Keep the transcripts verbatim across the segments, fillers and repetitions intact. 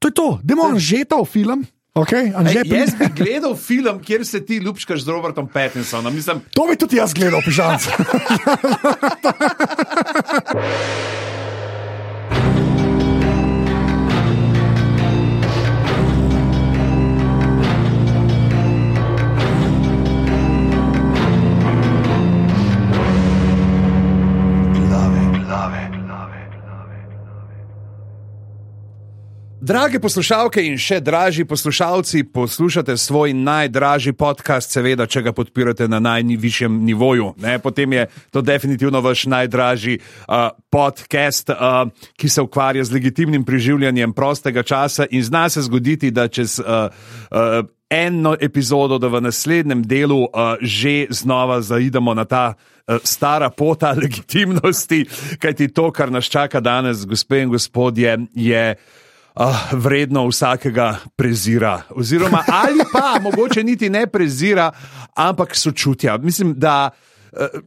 To je to, dajmo Anžetov film. Okay, Ej, jaz bi gledal film, kjer se ti ljubčkaš z Robertom Pattinsonom. Mislim... To bi tudi jaz gledal, pižanc. Drage poslušalke in še dražji poslušalci, poslušate svoj najdražji podcast, seveda, če ga podpirate na najvišjem nivoju. Ne? Potem je to definitivno vaš najdražji uh, podcast, uh, ki se ukvarja z legitimnim preživljanjem prostega časa in zna se zgoditi, da čez uh, uh, eno epizodo, da v naslednjem delu uh, že znova zaidemo na ta uh, stara pota legitimnosti, kajti to, kar nas čaka danes, gospe in gospodje, je Uh, vredno vsakega prezira. Oziroma, ali pa mogoče niti ne prezira, ampak sočutja. Mislim, da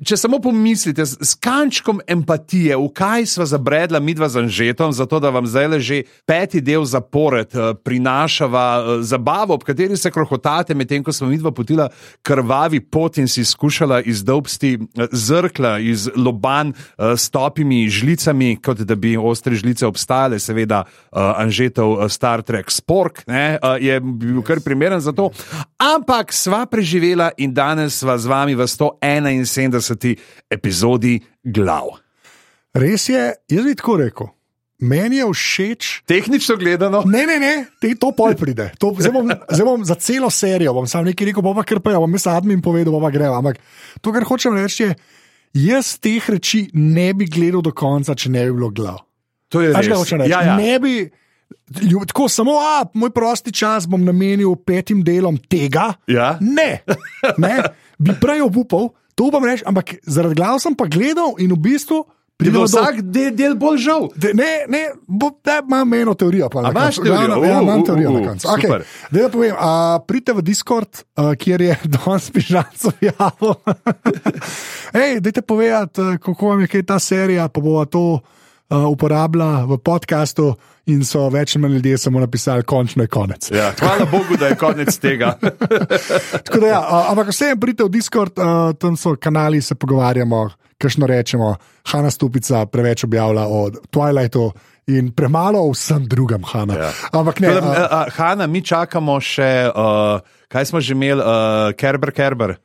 če samo pomislite, s kančkom empatije, v kaj sva zabredla midva z Anžetom, zato da vam zdaj že peti del zapored prinašava zabavo, ob kateri se krohotate, medtem ko smo midva potila krvavi pot in si skušala izdolbsti zrkla iz loban s topimi žlicami, kot da bi ostre žlice obstajale. Seveda Anžetov Star Trek Spork ne, je bil kar primeren za to, ampak sva preživela in danes sva z vami v sto enainsedemdeseti epizodi Glav. Res je, jaz bi tako rekel, meni je všeč... Tehnično gledano? Ne, ne, ne, te, to pol pride. To, zdaj, bom, zdaj bom za celo serijo, bom sam nekaj rekel, bom pa kar pa, bom jaz admin povedal, bom pa greva. Ampak to, kar hočem reči, je, jaz teh reči ne bi gledal do konca, če ne bi bilo Glav. To je res. Ja, ja. Ne bi... Ljub, tako samo, a, moj prosti čas bom namenil petim delom tega. Ja? Ne, ne, bi prej obupal, to upam reči, ampak zaradi Glav sem pa gledal in v bistvu... Ti bo vsak do... del, del bolj žal. De, ne, ne, bo, da imam eno teorijo. Pa, a imaš teorijo? Ja, imam teorijo uh, na koncu. Okay, da da povem, a, pridite v Discord, a, kjer je danes pižanco javil. Ej, dajte povedati, kako vam je kaj ta serija, pa bova to a, uporabila v podcastu in so več manj ljudje samo napisali, končno je konec. Ja, hvala Bogu, da je konec tega. Tako da ja, a, ampak vsem pridite v Discord, a, tam so kanali, se pogovarjamo, kakšno rečemo, Hana Stupica preveč objavlja o Twilightu in premalo o vsem drugem, Hana. Ja. Ampak ne. Todem, a, a, Hana, mi čakamo še, uh, kaj smo že imeli, uh, Kerber, Kerber.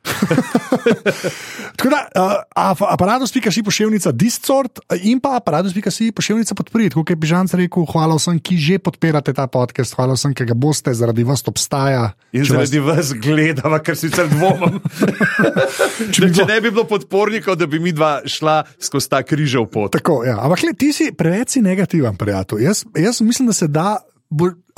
Tako da, uh, aparatus pika si poševnica Discord in pa aparatus pika si poševnica podprit. Kot je Pižanc rekel, hvala vsem, ki že podpirate ta podcast, hvala vsem, ki ga boste, zaradi vas obstaja. In zaradi vas... vas gledava, ker sicer dvomim. če, če ne bi bilo podpornikov, da bi mi dva šla skozi ta križev pot. Tako, ja. Ampak le, ti si preveč negativen, prijatelj. Jaz, jaz mislim, da se da...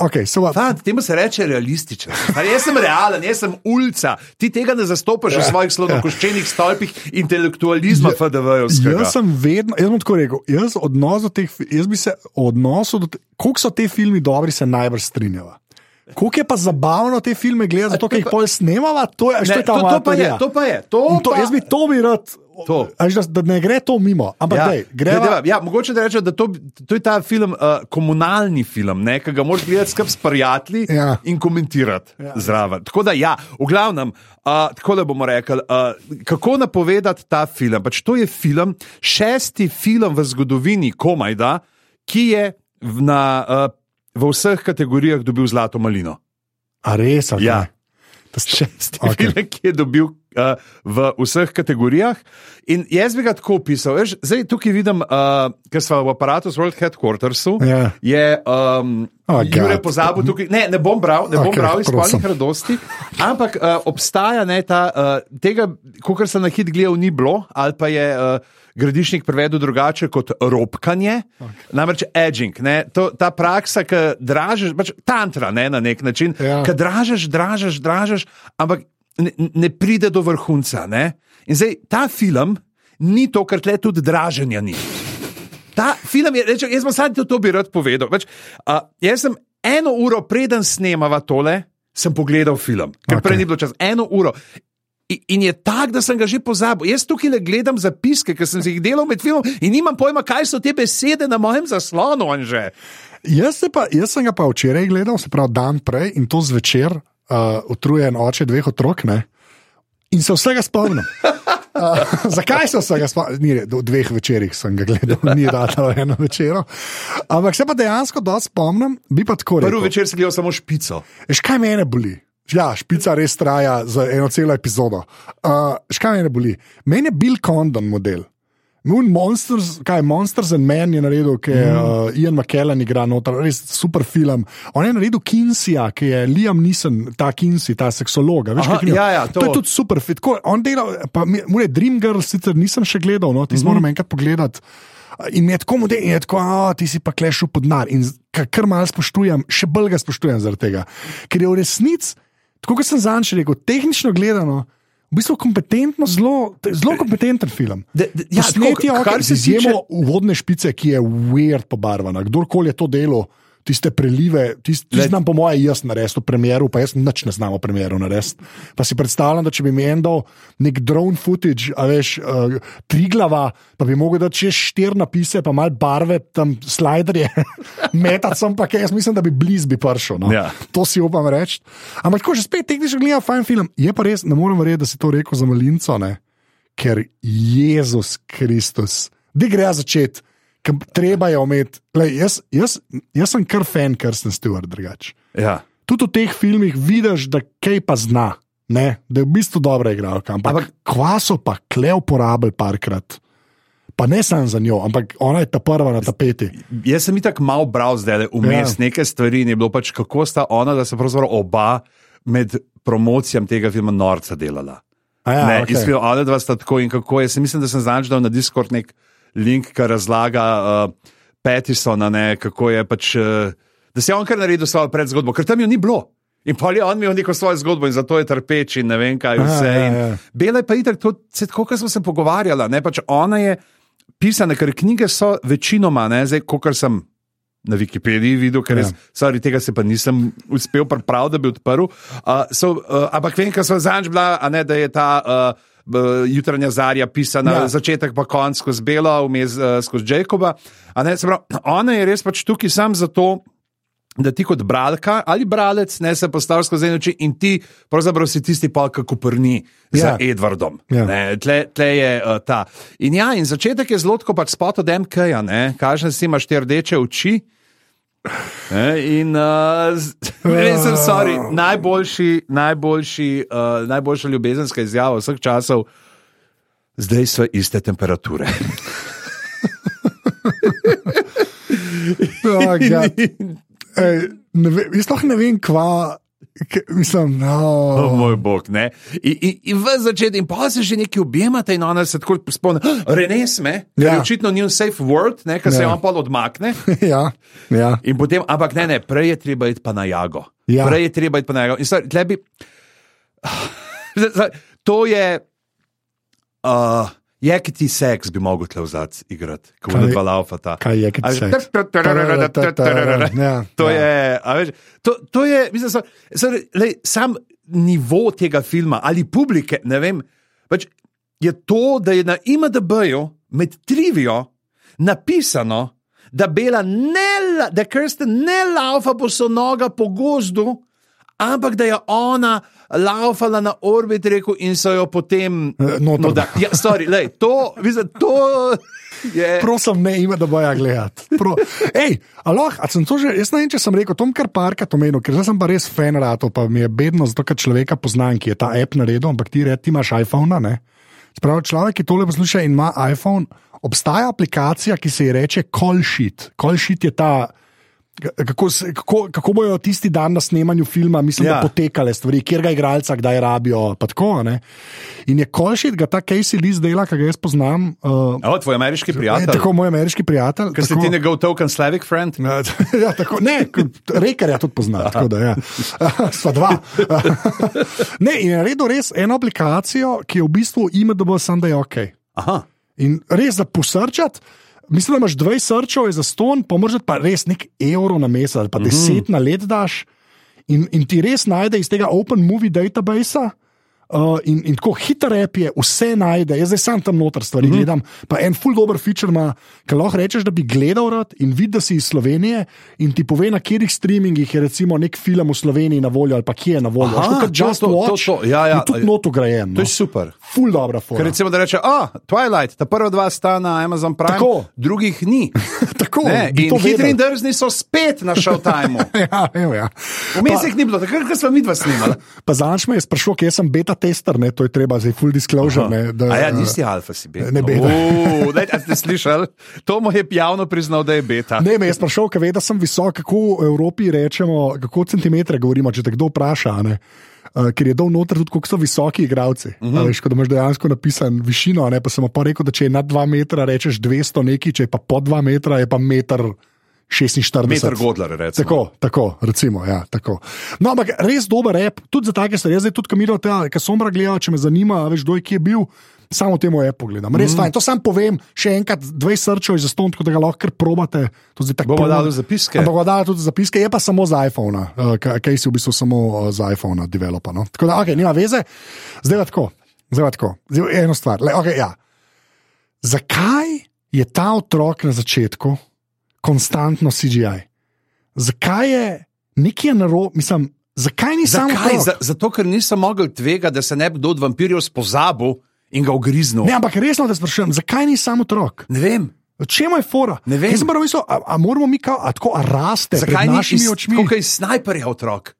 Okay, so Fant, temu se reče realističen. Jaz sem realen, jaz sem ulca. Ti tega ne zastopaš ja, v svojih slonokoščenih ja. stolpih intelektualizma ja, F D V-jevskega. Jaz sem vedno, jaz bom tako rekel, jaz odnos do teh, jaz bi se odnosil do teh, koliko so te filmi dobri, se najbrž strinjava. Koliko je pa zabavno te filme gledati, zato ker jih pol snemava, to je, ne, je ta to, to, pa je, to pa je. To to, pa... Jaz bi to bi rad... To. Da, da ne gre to mimo. Ampak ja, dej, greva... ja, mogoče da rečem, da to, to je ta film, uh, komunalni film, ne, ki ga moraš gledati skupaj s prijatelji ja. in komentirati ja. zraven. Tako da ja, v glavnem, uh, tako da bomo rekli, uh, kako napovedati ta film. Pač to je film, šesti film v zgodovini komajda, ki je v, na, uh, v vseh kategorijah dobil zlato malino. A res? Okay. Ja. Šesti okay. film, ki je dobil uh, v vseh kategorijah. In jaz bi ga tako opisal. Veš, zdaj tukaj vidim, uh, ker smo v aparatu z World Headquartersu, yeah. je um, oh, Jure pozabil tukaj. Ne, ne bom bral, ne bom okay, bral iz spolnih radosti, ampak uh, obstaja ne, ta, uh, tega, kakor se na hit gledal, ni bilo, ali pa je uh, Gradišnik prevedel drugače kot ropkanje, okay. namreč edging, ne, to, ta praksa, ki dražeš, pač tantra ne, na nek način, yeah. ki dražeš, dražeš, dražeš, ampak ne, ne pride do vrhunca. Ne. In zdaj, ta film ni to, kar tle tudi draženja ni. Ta film je, reče, jaz bom sad to, to bi rad povedal. Več, uh, jaz sem eno uro preden snemava tole, sem pogledal film, ker okay. prej ni bilo čas. Eno uro. I, in je tak, da sem ga že pozabil. Jaz tukaj le gledam zapiske, ker sem si jih delal med filmom in nimam pojma, kaj so te besede na mojem zaslonu, Anže. Jaz, se pa, jaz sem ga pa včeraj gledal, se pravi dan prej in to zvečer, uh, utrujen oče dveh otrok, ne? In se vsega spomnim. Uh, zakaj se vsega spomnim? Ni, v dveh večerih sem ga gledal, ni data v eno večero. Ampak se pa dejansko dosti spomnim, bi pa tako rekel. Prvi večer si gledal samo špico. Veš, kaj mene boli? Ja, špica res traja za eno celo epizodo. Uh, škaj mene boli? Meni je Bill Condon model. Monsters, kaj, Monsters and Men je naredil, ki je mm. uh, Ian McKellen igra noter, res super film. On je naredil Kinseyja, ki je Liam Neeson, ta Kinsey, ta seksolog. Veš, Aha, ja, ja, to. to je tudi super fit. Ko, on dela, pa mure Dreamgirls sicer nisem še gledal, no, ti mm -hmm. moram enkrat pogledati. In mi je tako model, in je tako, a, ti si pa klešil pod nar. In kar malo spoštujem, še bolj ga spoštujem zaradi tega. Ker je v resnici, tako kot sem zanj še rekel, tehnično gledano, v bistvu kompetentno, zelo, zelo kompetenten film. De, de, ja, Posneti je okay, z izjemo uvodne špice, ki je weird pobarvana. Kdorkoli je to delo, tiste prelive, tiste, tiste znam po moje jaz narediti v premjeru, pa jaz nič ne znam v premjeru narediti. Pa si predstavljam, da če bi mi en dal nek drone footage, a veš, uh, Triglava, pa bi mogel dati čez štir napise, pa malo barve, tam sliderje, metati sem pa kaj, jaz mislim, da bi bliz bi prišel. No? Ja. To si upam reči. Ampak tako, že spet tehnično gledam fajn film. Je pa res, ne morem verjeti, da si to rekel za malinco, ne? Ker Jezus Kristus, da gre začeti. Treba je ometi. Jaz, jaz, jaz sem kar fan Kirsten Stewart, drugače. Ja. Tudi v teh filmih vidiš, da kaj pa zna, ne? Da je v bistvu dobra igralka. Ampak, ampak kvaso pa kle uporabili parkrat. Pa ne samo za njo, ampak ona je ta prva na tapeti. Jaz sem itak malo bral zdaj vmes ja. Neke stvari in je bilo pač, kako sta ona, da se pravzaprav oba med promocijam tega filma norca delala. Ja, ne, okay. Izpil, ona dva sta tako in kako. Jaz mislim, da sem znač dal na Discord nek link, ki razlaga uh, Pattisona, ne, kako je pač, uh, da se je on kar naredil svojo predzgodbo, ker tam jo ni bilo. In pa je on imel neko svojo zgodbo in zato je trpeč in ne vem kaj vse. Aha, ja, ja. Bela je pa itak, to, tako, kot smo se pogovarjala, ne, pač ona je pisana, ker knjige so večinoma, ne, zdaj, kot sem na Wikipediji videl, ker res, ja. sorry, tega se pa nisem uspel prav, da bi odprl. Uh, so, uh, ampak vem, ker so zanj bila, a ne, da je ta uh, Jutranja zarja pisana, ja. Začetek pa konc skozi Belo, vmes uh, skozi Jacoba. A ne, se pravi, ona je res pač tukaj sam zato, da ti kot bralka ali bralec ne se postaviš skozi eno oči in ti pravzaprav si tisti pol, kako prni ja. Za Edwardom. Ja. Ne, tle, tle je uh, ta. In ja, in začetek je zelo tako pač spot od M K-ja, ne, kažem si imaš te rdeče oči. Ne, in uh, res sem sorry, najboljši, najboljši, uh, najboljša ljubezenska izjava vseh časov, zdaj so iste temperature. Oh, Ej, ne ve, jaz lahko ne vem, kva, ke, mislim, no. Oh, moj bog, ne. In, in, in v začetku, in pa se že nekaj objemate in ona se tako spomne, Renes me, ker ja. Je očitno njun safe word, ne, ker ja. Se je on pol odmakne. Ja, ja. In potem, ampak ne, ne, prej je treba iti pa na Jago. Ja. Prej je treba iti pa na Jago. In stvari, tle bi, to je, uh, jekiti seks bi mogel tle vzati igrati, ko bo dva laufata. Kaj je jekiti seks? To je, a veš, to, to je, mislim, so, so, lej, sam nivo tega filma ali publike, ne vem, pač je to, da je na I M D B-ju med trivijo napisano, da Bela ne, da Kirsten ne laufa bosonoga po gozdu, ampak da je ona laufala na orbit reku in so jo potem no, da, ja, sorry, lej, to, mislim, to je... Prosim, ne ima, da boja gledati. Pro... Ej, aloh, a sem to že, jaz ne vem, če sem rekel, Tom kar parkrat omenil, ker zdaj sem pa res fan ratov, pa mi je bedno, zato ker človeka poznam, ki je ta app naredil, ampak ti, ti imaš iPhone, ne? Spravi, človek, ki tole posluša in ima iPhone, obstaja aplikacija, ki se ji reče Call Sheet. Call Sheet je ta... Kako, kako, kako bojo tisti dan na snemanju filma, mislim, ja. Da potekale stvari, kjer ga igralca kdaj rabijo, pa tako, ne. In je Call Sheet, ga ta Casey Lee dela, ki ga jaz poznam. Uh, o, tvoj ameriški prijatelj. Ne, tako, moj ameriški prijatelj. Ker si ti njegov token Slavic friend? Ja, tako, ne, Rekerja tudi pozna, tako da, ja. Sva dva. Ne, in je naredil res eno aplikacijo, ki je v bistvu I M D B, sam da je ok. Aha. In res za posrčati, mislim, da imaš dvajset srčev za ston, pa moraš pa res nek evro na mesec ali pa deset mm -hmm. na let daš in, in ti res najde iz tega Open Movie database Uh, in, in tako hiter rap je, vse najde, jaz zdaj sam tam noter stvari mm-hmm. gledam. Pa en full dober feature ima, ki lahko rečeš, da bi gledal rad in vidi, da si iz Slovenije in ti pove, na katerih streamingih je recimo nek film v Sloveniji na voljo ali pa kje je na voljo. Aha, kot Just to, Watch, to, to, ja, ja, in tudi not ugrajen. To no. je super. Full dobra fora. Ker recimo, da reče, ah, Twilight, ta prva dva sta na Amazon Prime, tako. Drugih ni. Tako, ne, in Hitri in drzni so spet na Showtimeu. ja, evo, ja. Vmes jih ni bilo, takrat, ko smo midva snimali. Pa zanč me je sprašal, kje sem beta tester, ne, to je treba zdaj full disclosure. Ne, da, a ja, nisi alfa, si beta. Ne, beta. Uu, daj, a ste slišali? To mu je javno priznal, da je beta. Ne, me je sprašal, ker ve, da sem visok, kako v Evropi rečemo, kako centimetre govorimo, če te kdo vpraša, ne. Uh, ker je dol noter tudi, koliko so visoki igralci. Uh-huh. Veš, ko imaš dejansko napisan višino, ne, pa sem pa rekel, da če je nad dva metra, rečeš dvesto neki, če je pa pod dva metra, je pa meter šestinštirideset. Meter Godler, recimo. Tako, tako, recimo, ja, tako. No, ampak res dober rap, tudi za take stvari. Jaz zdaj tudi kamiro tega, ker Sombra gleda, če me zanima, veš, doj, ki je bil, samo temu appu gledam. Res mm. fajn. To sam povem, še enkrat, dvej srčov je zaston, tako da ga lahko kar probate. Bomo dali zapiske. Bomo dali tudi zapiske, je pa samo za iPhone, uh, kaj si v bistvu samo uh, za iPhone developa. No? Tako da, ok, nima veze. Zdaj pa tako, zdaj pa tako. Zdaj eno stvar. Le, okay, ja. Zakaj je ta otrok na začetku konstantno C G I? Zakaj je nekje narobe, mislim, zakaj ni samo otrok? Z, zato, ker nisem mogel tvega, da se ne bi kdo od vampirjev spozabil in ga ugriznil. Ne, ampak resno te sprašujem, zakaj ni samo otrok? Ne vem. Čemu je fora? Ne vem. Jaz sem prav mislil, a, a moramo mi kao, a tako, a raste zakaj pred našimi očmi? Zakaj ni iz snajperja otrok?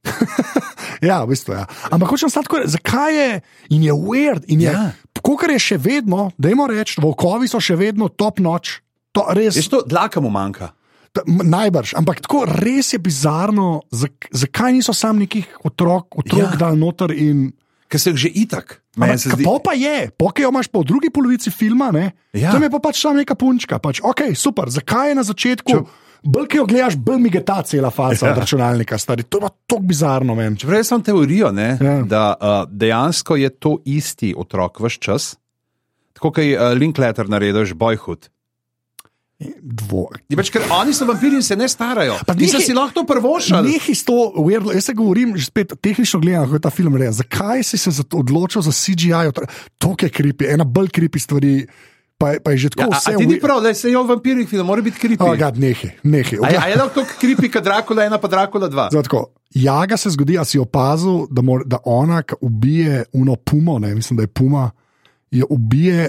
ja, v bistvu, ja. Ampak hočem stati tako, zakaj je, in je weird, in je, ja. Kakor je še vedno, dajmo reči, volkovi so še vedno top notch. To res. Je to dlaka mu manjka? Ta, najbrž, ampak tako res je bizarno, zak, zakaj niso sam nekih otrok, otrok ja. dal noter in... Ker se jih že itak. Zdi... Po pa je, pokaj jo imaš po drugi polovici filma, ne? Ja. Tam je pa pač tam neka punčka. Pač, ok, super, zakaj je na začetku, Če... bolj ki jo gledaš, bolj mi geta cela faca ja. od računalnika, stari. To je pa tako bizarno, men. Čeprav jaz sem teorijo, ne, ja. da uh, dejansko je to isti otrok vse čas, tako kot je uh, Linklater naredil Boyhood. Dvo. Pač, ker oni so vampiri in se ne starajo. Nisem si lahko to prvošal. Nekaj sto, weird, jaz se govorim, že spet tehnično gledam, kako je ta film rejen. Zakaj si se odločil za C G I? To je creepy, ena bolj creepy stvari. Pa je, pa je že tako ja, vse. A ti ni prav, da se je o vampirih film, mora biti creepy. Oh, God, nehi, nehi. A, a je lahko tako creepy, kot Dracula ena pa Dracula dva? Zato, Jaga se zgodi, a si opazil, da, mor, da ona, ki ubije uno pumo, ne, mislim, da je puma, je ubije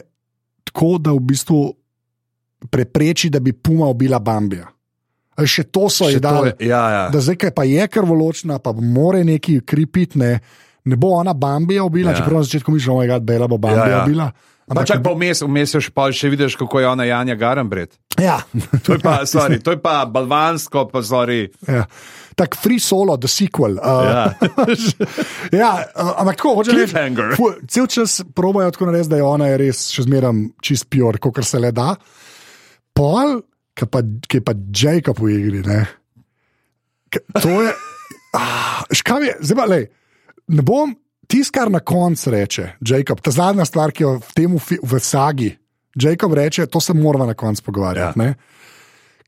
tako, da v bistvu prepreči, da bi puma ubila Bambija. Še to so ji dali. Ja, ja. Da zdaj, kaj pa je krvoločna, pa more neki kripit, ne, ne bo ona Bambija ubila, ja. Čeprav na začetku mišljamo, da je Bela bo Bambija ja, ja. ubila. Ampak čak pa vmes, vmes pa še vidiš, kako je ona Janja Garambret. Ja. To je pa, sorry, to je pa balvansko, pa sorry. Ja. Tak Free Solo, the sequel. Uh, ja. ja, uh, ampak tako, hoče reči, Cliffhanger. Cel čas probajo tako narediti, da je ona je res še zmeram čist pure, kakor se le da. Pol, ki pa, ki pa Jacob v igri, ne. K, to je, ah, škav je, zdaj pa, lej, ne bom, tis, kar na koncu reče, Jacob, ta zadnja stvar, ki jo v temu, v sagi, Jacob reče, to se moramo na koncu pogovarjati, ja. ne.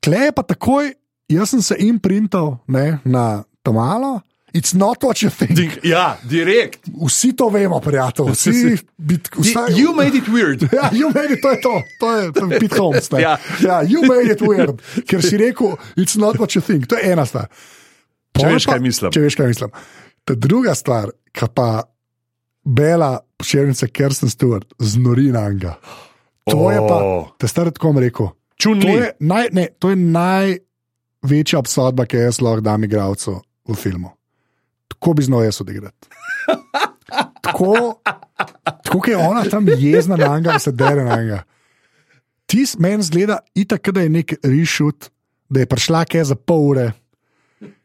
Klej je pa takoj, jaz sem se imprintal, ne, na to malo, it's not what you think. Ja, direkt. Vsi to vemo, prijatelj. Vsi, bit, vstaj, you made it weird. Ja, you made it, to je to. To je, to je Pete Holmes. Ja. Ja, you made it weird. Ker si rekel, it's not what you think. To je ena stvar. Če veš, kaj mislim. Če veš, kaj mislim. Ta druga stvar, ki pa Bela pošeljnica Kirsten Stewart znori na njega. To oh. je pa, te stari tako mi rekel. Čunli. To je, naj, ne, to je največja obsodba, ki jaz lahko dam igralcu v filmu. Tako bi znal jaz odigrati. Tako, tako je ona tam jezna na njega, da se dere na njega. Ti meni zgleda itak, da je nek reshoot, da je prišla kaj za pol ure.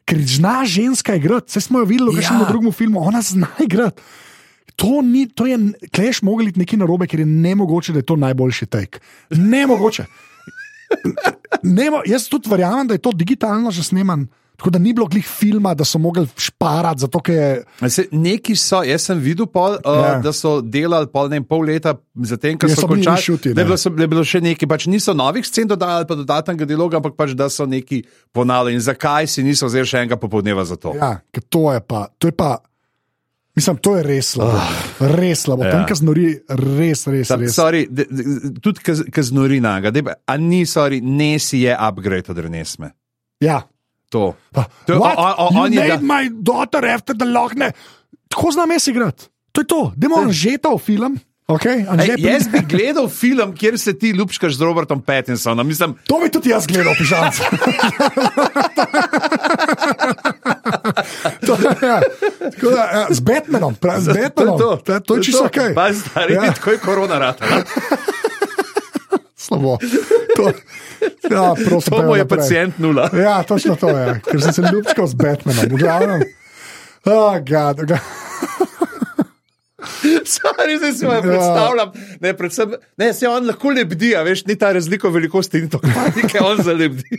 Ker zna ženska igrati, vse smo jo videli, kaj ja. v drugem filmu, ona zna igrati. To ni, to je, kleš mogli iti nekaj narobe, ker je nemogoče, da je to najboljši take. Nemogoče. Nemo, jaz tudi verjamem, da je to digitalno že sneman. Tako da ni bilo glih filma, da so mogli šparati, zato ker je... Se, neki so, jaz sem videl, pol, uh, ja. da so delali pol, ne, pol leta zatem, ko so končali, šuti, da, da je bilo še neki, pač niso novih scen dodali, pa dodatnega dialoga, ampak pač, da so neki ponavljali. In zakaj si niso vzeli še enega popoldneva za to? Ja, ker to je pa, to je pa, Mislim, to je res slabo. Oh. Res slabo. Ja. Tam, ki znori, res, res, Sam, res. Sorry, de, de, tudi, ki znori naga. De, a ni, sorry, Nesi je upgrade od Renesme. Ja. To. Pa, to what? On, on, you on made da... my daughter after the Loch Ness. Tako znam jaz igrati. To je to. Dajmo Anžeta v film. Okay? Ej, jaz bi gledal film, kjer se ti ljubčkaš z Robertom Pattinsonom. Mislim... To bi tudi jaz gledal, pižanc. To, ja. Tako da, ja, z Batmanom, pra, z Batmanom. To, to, to, to je čisto ok. Pa stari, ja. Tako je korona rata. Slabo. To, ja, prosim, to mu je pacient nula. Ja, točno to je, ker sem se ljubčkal z Batmanom. V glavnem. Oh, God. Sorry, zdaj si me predstavljam. Ne, predvsem, ne, se on lahko lebdi, a veš, ni ta razlika velikosti in to kvanike, on zalebdi.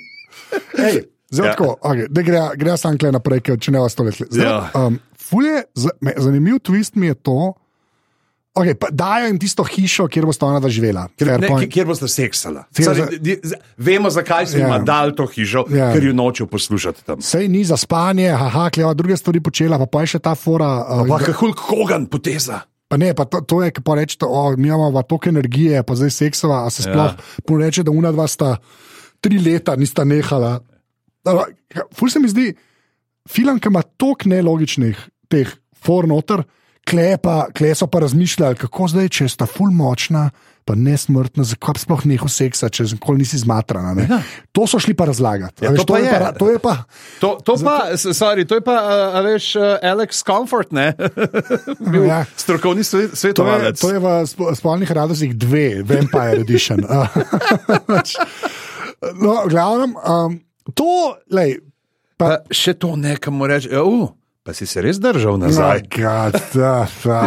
Ej, zdaj ja. Tako, okay, da gre, gre sam kle naprej, če ne vas to letli. Ja. Um, fulje, zanimiv twist mi je to, okay, pa dajo jim tisto hišo, kjer boste ona da živela. Ne, kjer boste seksala. Sorry, vemo, zakaj so jim ja. Dali to hišo, ja. Ker jo nočejo poslušati tam. Sej ni za spanje, haha, kleva druge stvari počela, pa pa je še ta fora. Uh, pa pa Hulk Hogan poteza. Pa ne, pa to, to je, pa reče, oh, mi imamo toliko energije, pa zdaj seksova, a se sploh ja. Reče, da una dva sta tri leta nista nehala. Ful se mi zdi, film, ki ima toliko nelogičnih teh for noter, kle, pa, kle so pa razmišljali, kako zdaj, če sta ful močna, pa nesmrtna, zakaj sploh neho seksa, če nikoli nisi zmatrana. Ne? Ja. To so šli pa razlagati. Ja, veš, to, pa to, je pa, to je pa... To, to pa, sorry, to je pa, a veš, Alex Comfort, ne? Bil ja. Strokovni svetovalec. To je, to je v Spolnih radostih dve, Vampire Edition. No, glavnem, um, to, lej... Pa, pa še to nekam mu reči, uh, pa si se res držal nazaj. Oh, God, da, da,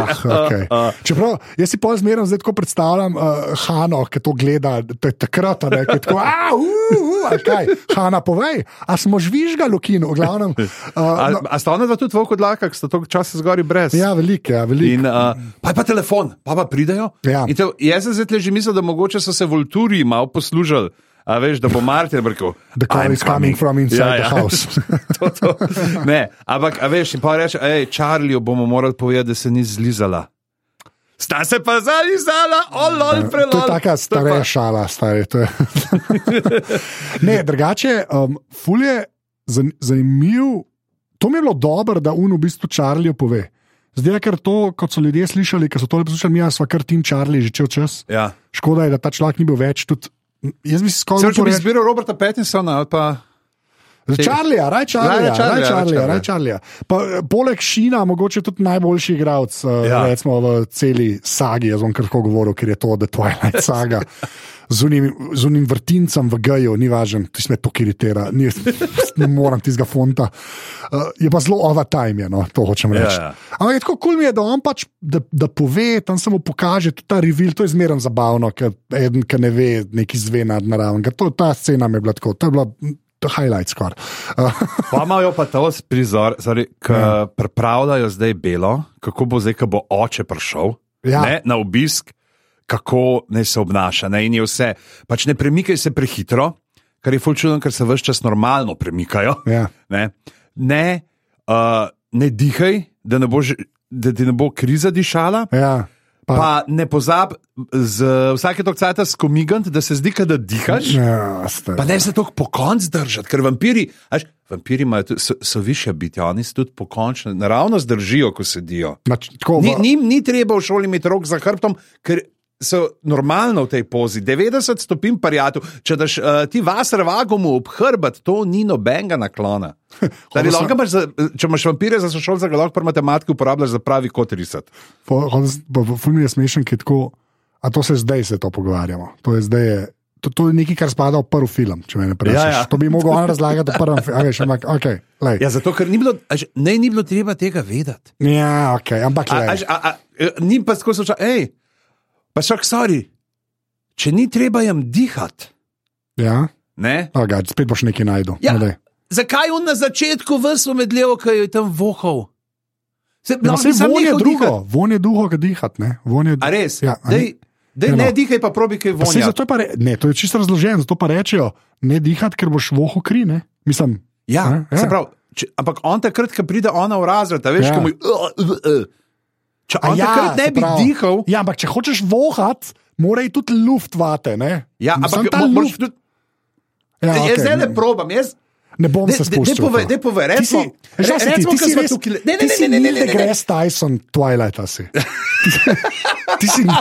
okay. Čeprav, jaz si pol zmerno zdaj tako predstavljam uh, Hano, ki to gleda takrat, ki je tako, a, uh, uh, kaj, Hana, povej, a smo žvižgali v kinu, v glavnem. Uh, a, no, a sta ona dva tudi v odlakah, sta toliko časa zgori brez? Ja, veliko, ja, veliko. Uh, pa je pa telefon, pa pa pridejo. Ja. In te, jaz sem zdaj že mislil, da mogoče so se Volturi malo poslužili. A veš, da bo Martin rekel, the call is coming from inside ja, ja. The house. to, to. Ne, ampak, a veš, in pa reče, hej, Charliju bomo morali povedati, da se ni zlizala. Sta se pa zalizala, olol, prelol. To je taka stara šala, stari. To je. Ne, drugače, um, ful je zanimiv, to mi je bilo dobro, da un v bistvu Charliju pove. Zdaj, ker to, kot so ljudje slišali, ker so to poslušali, mi sva kar tim Charlie že čel čas. Ja. Škoda je, da ta človek ni bil več tudi. Jaz bi si skoraj rekel, da bi izbiral Roberta Pattinsona ali pa... Charlija, raj Charlija, raj Charlija, raj Charlija. Poleg Šina, mogoče tudi najboljši igralec ja. Recimo v celi sagi, jaz bom kar tako govoril, ker je to The Twilight saga. Z unim, z unim vrtincem v geju, ni važen, ti se me to iritira, ni, ne moram tistega fonta. Uh, je pa zelo over time, je, no, to hočem reči. Ja, ja. Ampak je tako kul cool mi je, da on pač, da, da pove, tam se mu pokaže, tudi ta reveal, to je zmerno zabavno, ker eden, ki ne ve, neki zve nadnaravnega. Ta scena mi je bila tako, to je bila highlight skoraj. Uh. Pa imajo pa to prizor, ki ja. Pripravljajo zdaj Belo, kako bo zdaj, ko bo oče prišel ja. Ne, na obisk, kako naj se obnaša. Ne, in je vse. Pač ne premikaj se prehitro, kar je ful čudno, ker se ves čas normalno premikajo. Ja. Ne, ne, uh, ne dihaj, da, ne bo, da ti ne bo kriza dišala. Ja. Pa, pa ne pozab z vsake toliko cajta skomigant, da se zdi, da dihaš. Ja, pa ne se toliko po konc držati, ker vampiri, až, vampiri imajo, so, so više biti, oni se tudi po končno naravno zdržijo, ko sedijo. Nač, tako, ni, ni, ni treba v šoli imeti rok za hrbtom, ker so normalno v tej pozi, devetdeset stopinj parjatu, če daš uh, ti vas rvagomu ob hrbet, to ni nobenega naklona. Dari, sem... imaš za, če imaš vampire za sošolca, ga lahko pri matematiki uporabljaš za pravi kot risati. Ful mi je smešen, ki je tako, a to se zdaj se to pogovarjamo. To je zdaj je, to, to je nekaj, kar spada v prvi film, če me ne prešaš. Ja, ja. To bi mogel on razlagati v prvem filmu. Okay, ampak, okay, ja, zato, ker ni bilo, až, ne, ni bilo treba tega vedeti. Ja, ok, ampak a, až, a, a, ni pa tako soča, ej, pa šak, sorry, če ni treba jim dihati. Ja? Ne? Oh, God, spet boš nekaj najdel. Ja, no, zakaj on na začetku vsvo medljevo, ki je tam vohal? Se, ja, se von je drugo, von je drugo, ki dihati, ne? Von je... A res? Ja, dej, dej, ne, ne dihaj pa probi, kaj vonja. Pa zato je pa re... Ne, to je čisto razloženo, zato pa rečejo, ne dihati, ker boš vohal kri, ne? Mislim... Ja, ja, se pravi, če, ampak on takrat, ko pride ona v razred, a veš, Ja. ko mu je, uh, uh, uh. Če A on ja, takrat ne se bi pravi. dihal, Ja, ampak če hočeš vohat, mora iti tudi luft vate, ne? ja, Samo ampak ta mo- moraš luft. tudi- Ja, Jaz okej. zdaj ne probam, jaz. Ne bom se Daj spuščal. povej, v to. daj povej, Ti si- recimo, veš, kaj si ti, recimo, ti ko si smo res- tukaj- ne, ne, ti ne, si ne, ne, Neil ne, ne, ne. deGrasse Tyson Twilighta si. Ti si. Ne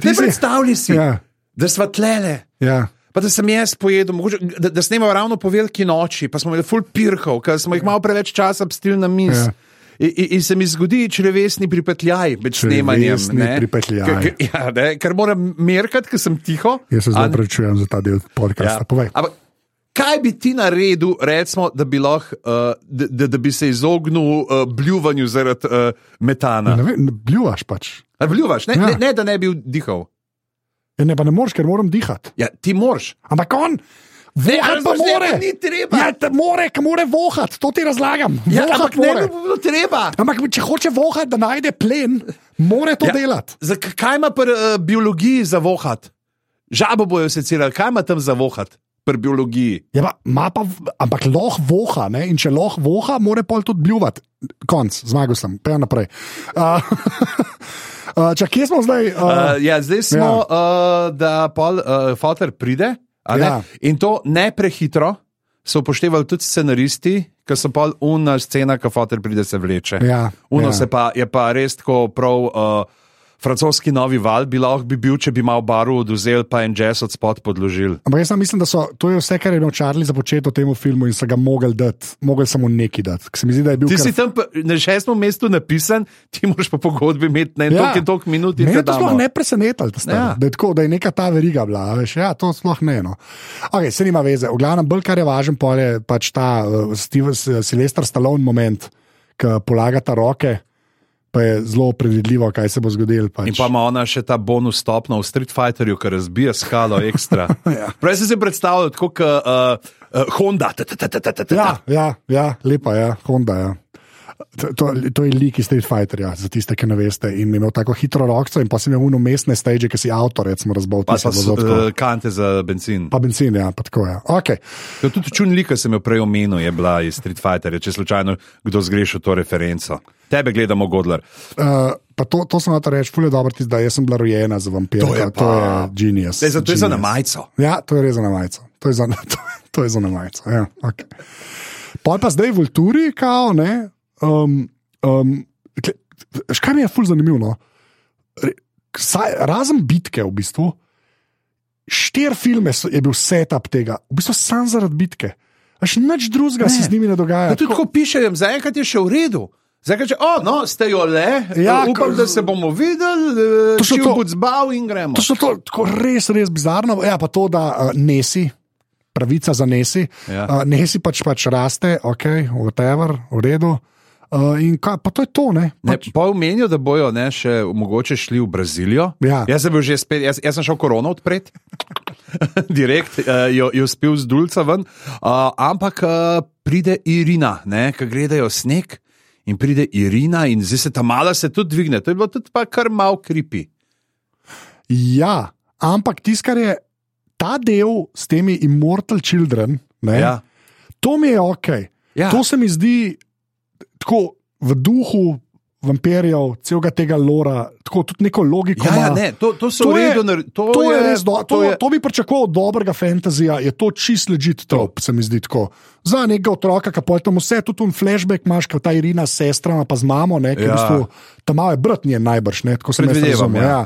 si- predstavljaj si, Ja. da sva tlele. Ja. Pa da sem jaz pojedel, mogoče, da, da snemamo ravno po veliki noči, pa smo imeli ful pirkov, ker smo jih malo preveč časa pstili na miz. Ja. In, in, in se mi zgodi črevesni pripetljaj med snemanjem. Črevesni ne. pripetljaj. Ker, ker, ja, ne, ker moram merkati, ker sem tiho. Jaz se zdaj A- prečujem za ta del podcasta. Ja. Povej. Ampak kaj bi ti naredil, recimo, da bi, lahko, uh, da, da, da bi se izognil uh, bljuvanju zaradi uh, metana? Ne vem, bljuvaš pač. A bljuvaš, ne, Ja. ne, ne da ne bi dihal. Ja, ne, pa ne moreš, ker moram dihati. Ja, ti moraš. Ampak on, vohat pa Alboš, ne, more. pa ni treba. Ja, te more, ki more vohat, to ti razlagam. Ja, Vohat ampak ne more. bi bilo treba. Ampak če hoče vohat, da najde plen, more to Ja. delati. Za, kaj ima pri uh, biologiji za vohat? Žabo bojo secirali, kaj ima tam za vohat pri biologiji? Ja, pa, ma pa, v- ampak lahko voha, ne? In če lahko voha, mora pol tudi bljuvati. Konc, zmagal sem, pejo naprej. Uh, uh, če kje smo zdaj? Uh, Uh, ja, zdaj smo, ja. uh, da pol uh, fotor pride a ne? Ja. In to ne prehitro. So upoštevali tudi scenaristi, ki so pol una scena, ki fotor pride, se vleče. Ja, Uno ja. se pa, je pa res tako prav. Uh, Francoski novi val bi lahko bi bil, če bi malo baru oduzel, pa en jazz od spod podložil. Ampak jaz sam mislim, da so, to je vse, kar je imel Charlie za početi v tem filmu in so ga mogli dati, mogli samo neki dati. Se mi zdi, da je bil Ti kar... si tam pa- na šestem mestu napisan, ti moraš pa pogodbi imeti na en Ja. tok in tok minut. in Mene te to damo. sploh ne presenetilo, da, Ja. ja. da, je tako, da je neka ta veriga bila. a Veš, ja, to sploh ne. No. Okay, se nima veze. V glavnem, bolj kar je važen, pol je pač ta uh, Steve, Sylvester Stallone moment, ki polaga ta roke, pa je zelo predvidljivo, kaj se bo zgodilo. Pač. In pa ima ona še ta bonus stopno v Street Fighterju, ki razbija skalo ekstra. Ja. Prej sem si predstavljal, kot uh, uh, Honda. ta, ta, ta, ta, ta, ta, ta. Ja, ja, ja, lepa je, ja. Honda. Ja. To, to, to je lik iz Street Fighterja, za tiste, ki ne veste. In je imel tako hitro rokco, in pa si imel umestne stage, ki si avtor, recimo, razbal. Pa tisto pa bo s- zelo tako. uh, kante za benzin. Pa benzin, ja, pa tako je. Okay. To tudi čun lika sem jo prej omenil, je bila iz Street Fighterja, če slučajno kdo zgrešil to referenco. Tebe gledamo, Godler. Uh, pa to, to sem hotel reči, fulje dobro ti zdaj, jaz sem bila rojena za vampirja. To je to je pa- genius. Zdaj, zato je za genius. na majico. Ja, to je res za na majico. To je za, to, to je za na majico. Ja, okay. Pol pa zdaj v Vulturi, kao, ne. Um, um, kle- Škaj mi je ful zanimivo? No? Re- saj- Razen bitke, v bistvu, štiri filme so, je bil setup tega, v bistvu sam zaradi bitke. Až nič drugega Ne. se z njimi ne dogaja. Ja, tudi ko pišejo, zaenkrat je še v redu. Zdaj, če oh, no, ste jo le, Ja, ja, upam, ko- da se bomo videli, Točno če to. bo zbal in gremo. To so to, tako res, res bizarno. Ja, pa to, da uh, nesi, pravica za nesi, Ja. uh, nesi pač, pač raste, ok, whatever, v redu. Uh, in kaj, pa to je to, ne? Ne, Pač, pa omenijo, da bojo ne, še mogoče šli v Brazilijo. Ja. Jaz sem bil že spet, jaz, jaz sem šel korono odpreti, direkt uh, jo, jo spil z dulca ven. Uh, ampak uh, pride Irina, ki gledajo sneg. In pride Irina, in zdaj se ta mala se tudi dvigne. To je bilo tudi pa kar malo kripi. ja, ampak tisto, kar je ta del s temi Immortal Children, ne, Ja. to mi je ok. Ja. To se mi zdi tako v duhu vampirjev, celega tega lora, tako tudi neko logiko. Ja, ja, ima. ne, to, to so To v je- redu. nar- To, To je res, do, to, to je, to bi pričakoval od dobrega fantazija, je to čist legit trop, se mi zdi tako. Za nekega otroka, ki pojjo tam vse, tudi un flashback imaš, kot ta Irina s sestrama, pa z mamo, ne, ki Ja. v bistvu tam malo je brat njen najbrž, ne, tako sem jaz Predvidevam, razumel. ja.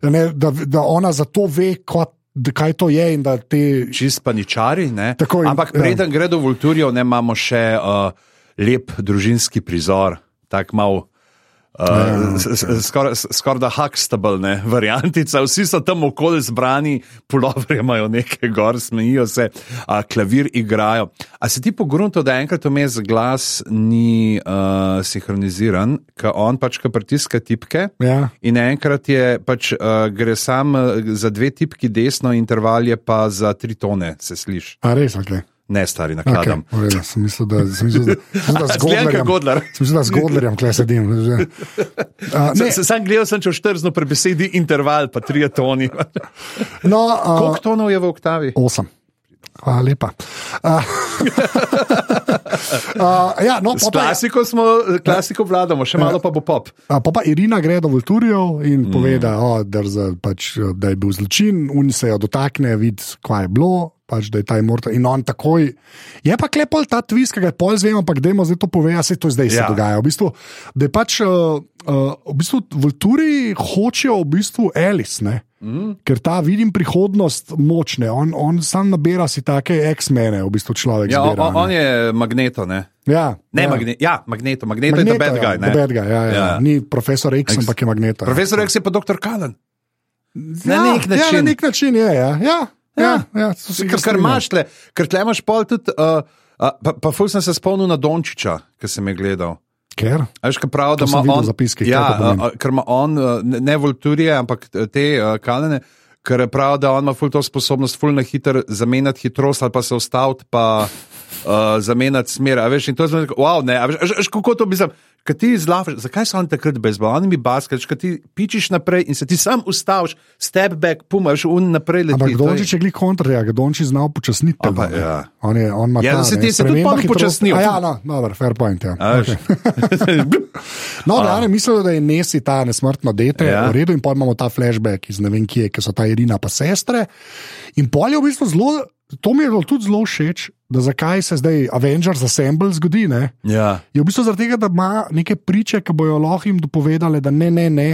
Ja. Ne, da, da ona zato ve, kot, da, kaj to je in da te. čist paničari. Ne? Tako in- Ampak ja. preden gre do Vulturjev, ne imamo še uh, lep družinski prizor, tako malo. Uh, Skoraj skor da Huxtable, ne, variantica, vsi so tam okoli zbrani, puloverje imajo nekaj gor, smejijo se, a klavir igrajo. A se ti pogrunto, da enkrat vmes glas ni uh, sinhroniziran, ker on pač ka pritiska tipke Ja. in enkrat je pač uh, gre sam uh, za dve tipki desno, interval je pa za tri tone, se sliši. A res, ok. Ne, stari, Okay, nakladam. v redu, sem mislil, da, sem mislil, da, sem mislil, da z Zgleda Godlerjem- Godler. sem mislil, da z Godlerjem tukaj sedim. Uh, ne, Sam, sam gledal sem, če vštrzno pri besedi interval, pa tri toni. no, uh, Koliko tonov je v oktavi? osem. Hvala lepa. Uh, uh, ja, no, S klasiko, smo, klasiko vladamo, še malo pa bo pop. Uh, pa pa Irina gre do Vulturijev in mm. pove, da, oh, drza, pač, da je bil zločin, oni se jo dotakne, vidi, kaj je bilo, pač, da je ta immortal. In on takoj. Je pa klepol ta twist, ki ga je pol zvem, ampak dajmo zdaj to pove, a se to zdaj ja. se dogaja. V bistvu, da je pač, uh, uh, v bistvu Vulturiji hočejo v bistvu Alice, ne? Mm. Ker ta vidim prihodnost močne, on, on sam nabira si take X-mene, v bistvu človek. Ja, zbira, on, on je Magneto, ne? Ja, ne ja. Magne, ja Magneto, Magneto, Magneto je the bad guy. Ja, the bad guy ja, ja. Ja. Ni profesor X, X, ampak je Magneto. Profesor ja. X je pa doktor Cullen. Na ja, nek način. Ja, na nek način je, ja. ja, ja, ja ker, ker imaš tle, ker tle imaš pol tudi, uh, uh, pa, pa ful sem se spomnil na Dončića, ki sem je gledal. Ker? Veš, kaj prav, da ima on zapiski, ja, uh, ker ima on, uh, ne Vulturije, ampak te uh, Cullene, ker je prav, da on ima ful to sposobnost, ful na hiter zamenjati hitrost ali pa se ustaviti, pa uh, zamenjati smer. A veš, in to je zelo, wow, ne, a veš, a veš, kako to bi znam, kad ti izlafaš, zakaj so oni takrat bezbal, oni mi basket, kad ti pičiš naprej in se ti sam ustaviš, step back, pum, a veš, un naprej leti. Ampak Dončić je glik kontra, ja, ga Dončić znal počasniti. Pa, ja. On je, on ima ja, ta, da se ne, ti se tudi pol počasnil. A ja, no, dobro, fair point, ja. Okay. No, da, ne, mislil, da je Nesi ta nesmrtno dete, ja. v redu, in pol imamo ta flashback iz ne vem kje, ki so ta Irina pa sestre, in pol je v bistvu zelo, to mi je tudi zelo všeč, da zakaj se zdaj Avengers Assemble zgodi, ne? Ja. Je v bistvu zaradi tega, da ima neke priče, ki bojo lahko jim dopovedali, da ne, ne, ne,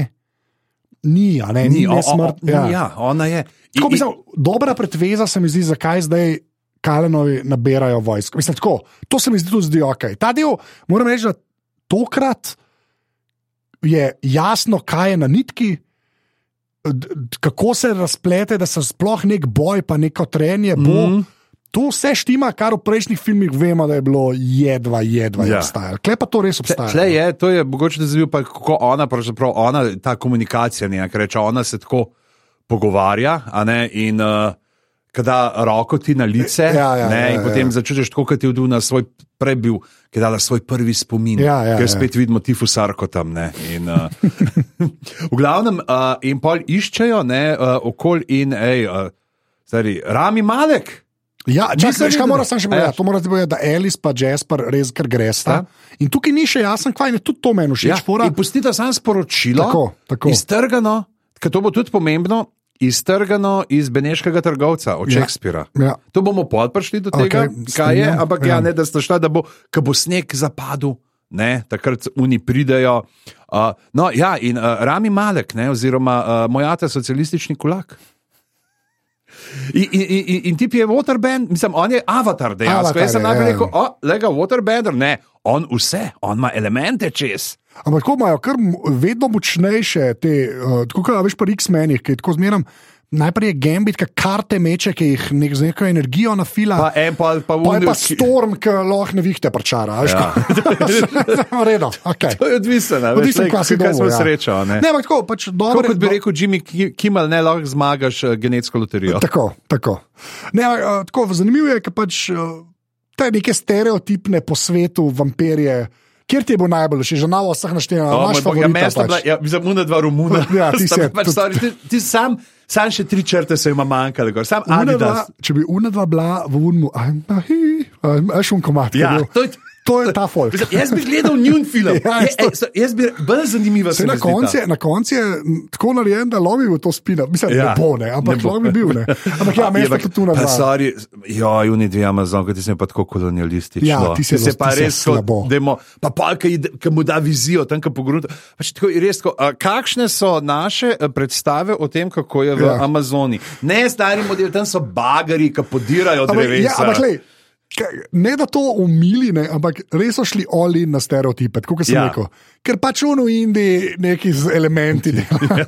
ni, a ne, ni, ni smrt. Ja. ja, ona je. Tako, mislim, dobra predveza se mi zdi, zakaj zdaj Cullenovi nabirajo vojsko. Mislim, tako, to se mi zdi tudi zdi ok. Ta del, moram reči, da tokrat je jasno, kaj je na nitki, kako se razplete, da se sploh nek boj, pa neko trenje bo. Mm. To vse štima, kar v prejšnjih filmih vemo, da je bilo jedva, jedva ja. obstajalo. Kle pa to res obstaja. Tle je, to je mogoče, da zbil pa kako ona, pravzaprav ona, ta komunikacija, ne, ker reče, ona se tako pogovarja, a ne, in uh, kada roko ti na lice, ja, ja, ne, ja, in ja, potem ja. začutiš tako, kot je vdul na svoj prebil, ki je dala svoj prvi spomin, ja, ja, ker ja. spet vidimo tifusarko tam, ne, in uh, v glavnem, uh, in pol iščejo, ne, uh, okolj in, ej, uh, stari, Rami Malek. Ja, čakaj, kaj mora sam še povedati? To mora ti povedati, da Alice pa Jasper res kar gresta. In tukaj ni še jasen, kaj je tudi to meni všeč. Ja, in pustite sam sporočilo, tako, tako. iztrgano, ker to bo tudi pomembno, iztrgano iz beneškega trgovca od Shakespearea. Ja, ja. To bomo pol prišli do tega, okay, kaj je, ja, ampak ja, ne, da sta šla, da bo, ko bo sneg zapadel, ne, takrat oni pridejo. Uh, no, ja, in uh, Rami Malek, ne, oziroma uh, moj ata socialistični kulak. In, in, in, in tip je waterband, mislim, on je avatar dejansko. Jaz sem najprej rekel, o, lega waterbender, ne, on vse, on ima elemente čez. Ampak tako imajo kar vedno močnejše te, uh, tako kot veš pa X-menih, ki je tako zmeram, najprej je Gambit, ki karte meče, ki jih nek, z neko energijo nafila. Pa en pa, pa, pa je pa Storm, ki lahko nevihte prčara. Ja. Redo, okay. To je odvisno, ne? Odvisno, kaj si kaj smo ja. srečo, ne? Ne, ampak tako, pač dobro. Kot bi rekel Jimmy Kimmel, ne, lahko zmagaš uh, genetsko loterijo. Tako, tako. Ne, uh, tako, zanimivo je, ker pač uh, te neke stereotipne po svetu vampirje. Kjer ti je bil najbolj všeč, že na vseh naštevanjih, oh, imaš favorita? Ja, mesto bila, ja, mislim, una dva Romuna. Ja, ti si, pač, sorry, ti, ti sam, sam še tri črte se ima manjkale, gor, sam Adidas. Če bi una dva bila v unmu, a šum komat. Ja, to je... To je ta folk. Jaz bi gledal njun film. Ja, jaz, to... jaz bi bolj zanimiva se na koncu na koncu je tako narejen, da lovi v to spina. Mislim, da ja, ne bo, ne, ampak lahko bi bil, ne. Ampak ja, mesto tudi tu na dva. Sorry, jo, juni dve Amazon, ti si pa tako kolonialistično. Ja, ti si se pa res slabo. Demo, pa pa, ki mu da vizijo, tam, ki pogrunta. Pač tako je res, ko, kakšne so naše predstave o tem, kako je v ja. Amazoni? Ne, stari model, tam so bagari, ki podirajo drevesa. Ja, ampak lej, ne da to umili, ne, ampak res so šli oli na stereotipe, tako kot sem ja. rekel. Ker pač v Indiji neki z elementi dela.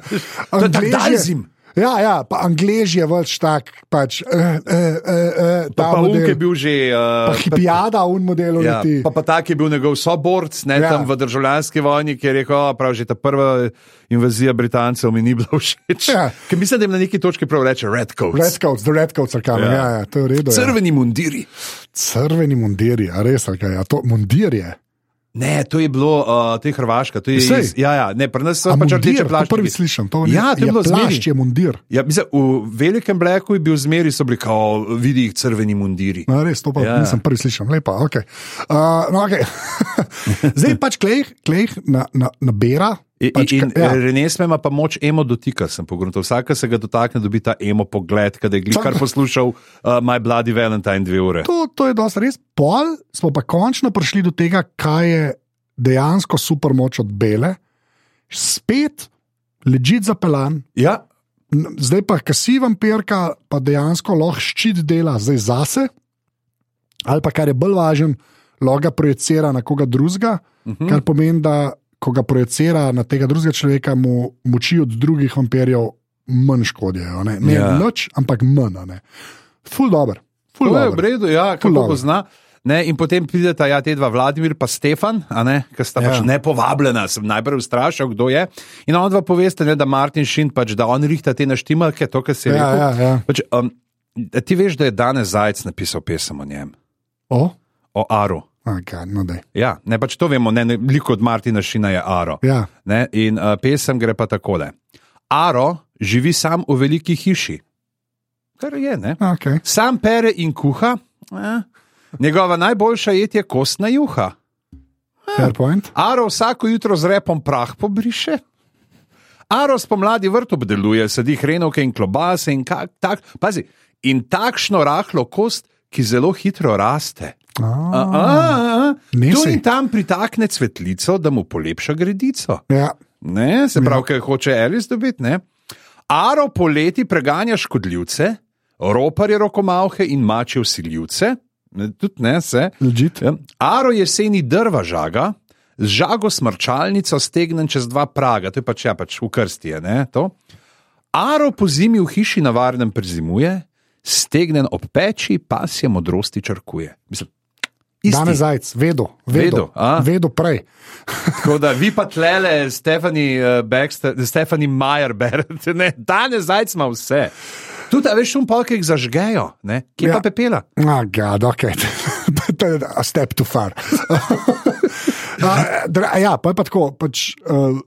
Angleži. Ja, ja, pa Angleži je več tak, pač. Uh, uh, uh, pa pa Unk je bil že. Uh, pa Hipijada v modelu. Ja, pa, pa tak je bil njegov soborc, ne ja. tam v državljanski vojni, ki je rekel, prav že ta prva invazija Britancev mi ni bila všeč. Ja. Ker mislim, da jim na neki točki prav reče Red Coats. Red Coats, the Red Coats are coming, ja, ja, to je v redu. Crveni ja. mundiri. Crveni mundiri, a res, ali kaj, a to mundir je? Ne, to je bilo, uh, to je Hrvaška, to je Sej. iz, ja, ja, ne, pri nas so A pač mundir, rdeče to plaščke. prvi slišim, to ni- Ja, to je je bilo zmeri. plašč, je mundir. Ja, mislim, v velikem Blacku je bil zmeri, so bili kao, vidi jih crveni mundiri. No, res, to pa Ja. ja. nisem prvi slišal, lepa, ok. Uh, no, okay. Zdaj pač klej, klej na, na, nabera. In, Pač, in ja. Renesme ima pa moč emo dotika, sem pogruntal. Vsaka se ga dotakne, dobi ta emo pogled, kad je glikar poslušal uh, My Bloody Valentine dve ure. To, to je dosti res. Pol smo pa končno prišli do tega, kaj je dejansko super moč od Bele. Spet ležit zapeljan. Ja, N- Zdaj pa, ki si vampirka, pa dejansko lahko ščit dela zdaj zase, ali pa kar je bolj važen, lahko ga projicira na koga drugega, uh -huh. kar pomeni, da ko ga projicira na tega drugega človeka, mu moči od drugih vampirjev manj škodijo. Ne, ne Ja. nič, ampak manj. ne. Ful dobro. Ful to je v dobro. redu, ja, Ful kako dobro. pozna. Ne, in potem prideta ja, te dva, Vladimir pa Stefan, ki sta Ja. pač nepovabljena. Sem najprej vstrašil, kdo je. In on dva poveste, ne, da Martin Šint, pač, da on rihta te naštimalke, to, kar si Ja, rekel. ja, ja. Pač, um, ti veš, da je danes Zajec napisal pesem o njem, O? o Aru. Okay, no daj. Ja, ne, pač to vemo, ne, ne, liko od Martina Šina je Aro. Ja. Ne, in uh, pesem gre pa takole. Aro živi sam v veliki hiši, kar je, ne? Okay. Sam pere in kuha, eh. Njegova najboljša jed je kostna juha. Fair point. Aro vsako jutro z repom prah pobriše. Aro spomladi vrt obdeluje, sadi hrenovke in klobase in kak, tak, pazi, in takšno rahlo kost, ki zelo hitro raste. A, a, a, Nisi. tu in tam pritakne cvetlico, da mu polepša gredico. Ja. Ne, se pravi, kaj hoče Alice dobiti. Ne? Aro poleti preganja škodljivce, roparje rokomavhe in mače vsiljivce. Ne, tudi ne, se. Legit. Ja. Aro jeseni drva žaga, z žago smrčalnico stegnen čez dva praga, to je pač, ja, pač v krsti je, ne, to. Aro po zimi v hiši na varnem prezimuje, stegnen ob peči, pasje modrosti črkuje. Mislim, isti. Danes Zajec, vedo, vedo, Vedo, a? vedo prej. Tako da vi pa tlele, Stefani uh, Baxter, Stefani Majer berete, ne, danes Zajec ima vse. Tudi, a veš, šum polk jih zažgejo, ne, kje ja. pa pepela? Ah, God, ok. To je a step too far. A, dra- ja, pa je pa tako. Pač, uh,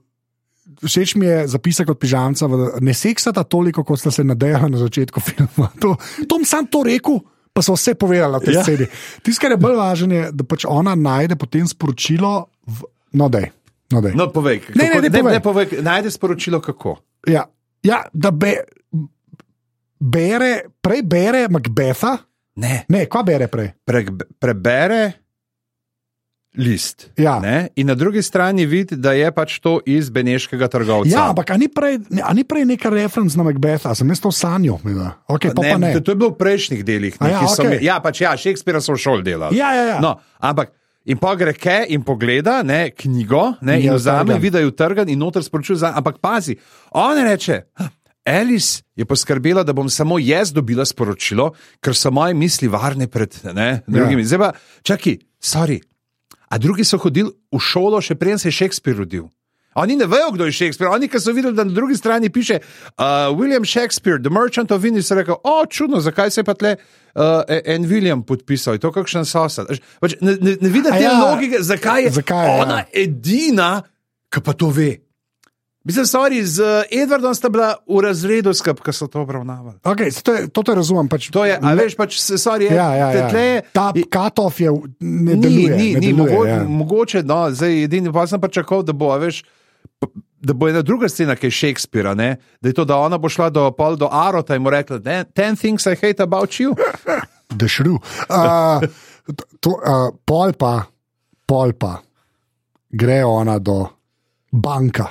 všeč mi je zapisek od pižamca, v- ne seksata toliko, kot sta se nadejala na začetku filma. To, Tom sam to rekel, pa so vse povedali na tej Ja. sceni. Tisto, kar je bolj važno, je, da pač ona najde potem sporočilo, v, no, dej. No, dej. No, povej, kako, Ne, ne, ne, ne, povej. ne povej, najde sporočilo kako. Ja, ja, da be, bere, prej bere Macbetha. Ne, Ne, kva bere prej? pre, prebere list. Ja. Ne? In na drugi strani vidi, da je pač to iz beneškega trgovca. Ja, ampak a ni prej, a ni prej neka referenca na Macbetha, sem jaz to sanjal. Okay, pa ne, pa ne. To, to je bilo v prejšnjih delih. A ja, neki so okej. me- ja, pač ja, Shakespearea so v šoli delali. Ja, ja, ja. No, ampak in pa gre ke in pogleda ne, knjigo ne, in Ja, vzame, trgan. vidi, da je utrgan in noter sporočil za. Ampak pazi, on reče. Alice je poskrbela, da bom samo jaz dobila sporočilo, ker so moje misli varne pred ne, drugimi. Ja. Zdaj pa, čakaj, sorry. A drugi so hodili v šolo, še preden se je Shakespeare rodil. Oni ne vejo, kdo je Shakespeare. Oni, ki so videli, da na drugi strani piše uh, William Shakespeare, The Merchant of Venice, so rekli: o, čudno, zakaj se je pa tle uh, en William podpisal, je to kakšen sosed. Pač ne, ne, ne vidite te ja. logike, zakaj je Zakaj, ja. ona edina, ki pa to ve. Mislim, sorry, z Edwardom sta bila v razredu skup, ko so to obravnavali. Okay, to, je, to te razumem. Pač, To je, a veš, pač, sorry, je, ja, ja, ja. tle, Ta cut-off je ne Ni, deluje. ni, ne ni deluje, mogo, ja. mogoče, no, zdaj edini pa sem pa čakal, da bo, a veš, p- da bo ena druga scena, ki je Shakespearea, ne, da je to, da ona bo šla do, pol do Arota in mu rekla: ten things I hate about you. The shrew. Uh, to, uh, pol pa, pol pa, gre ona do banka.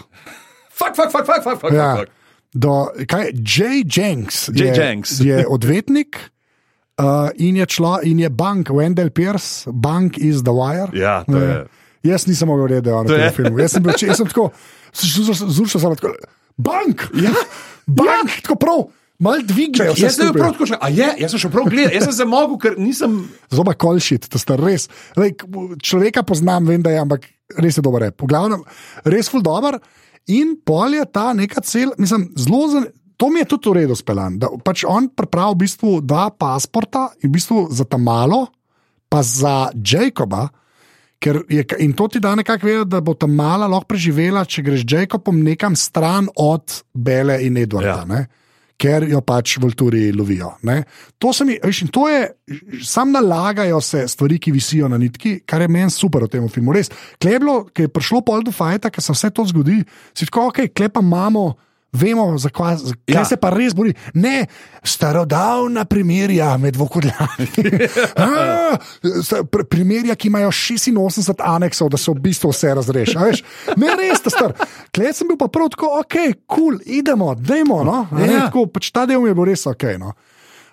Fuck, fuck, fuck, fuck, fuck, fuck, Ja. fuck. Do, kaj, J. Jenks J. je, Jenks. je odvetnik uh, in, je člo, in je bank, Wendell Pierce, bank is the wire. Ja, to je. Jaz nisem mogel vedeti, da je on To v je. tem filmu. Jaz sem, bil, jaz sem tako, zrušil sem tako, bank, ja, bank, ja. Tako prav, malo dvignejo. Jaz sem bil prav tako, a je, jaz sem šel prav gledati, jaz sem se mogel, ker nisem. Zoba kolšit, to sta res. Lej, človeka poznam, vem, da je, ampak res je dober. V glavnem, res ful dober. In pol je ta neka cel, mislim, zelo zan... To mi je tudi v redu speljan, da pač on pripravi v bistvu dva pasporta in v bistvu za ta malo, pa za Jacoba, Ker je, in to ti da nekako vedeti, da bo ta mala lahko preživela, če greš Jacobom nekam stran od Bele in Edwarda, ja. Ker jo pač vulturi lovijo. Ne? To, mi, veš, to je, sam nalagajo se stvari, ki visijo na nitki, kar je meni super v tem filmu. Res, kleblo, ki je prišlo pol do fajta, ker se vse to zgodi, si tako, ok, klepa imamo, vemo, zakaj ja. se pa res bori. Ne, starodavna primerja med vokodljami. pr primerja, ki imajo šestinosemdeset aneksov, da se v bistvu vse razreši. Ne, res, ta star. Klej sem bil pa prav tako, ok, cool, idemo, dajmo, no. Ja. Tako, pač ta del mi je bil res ok, no.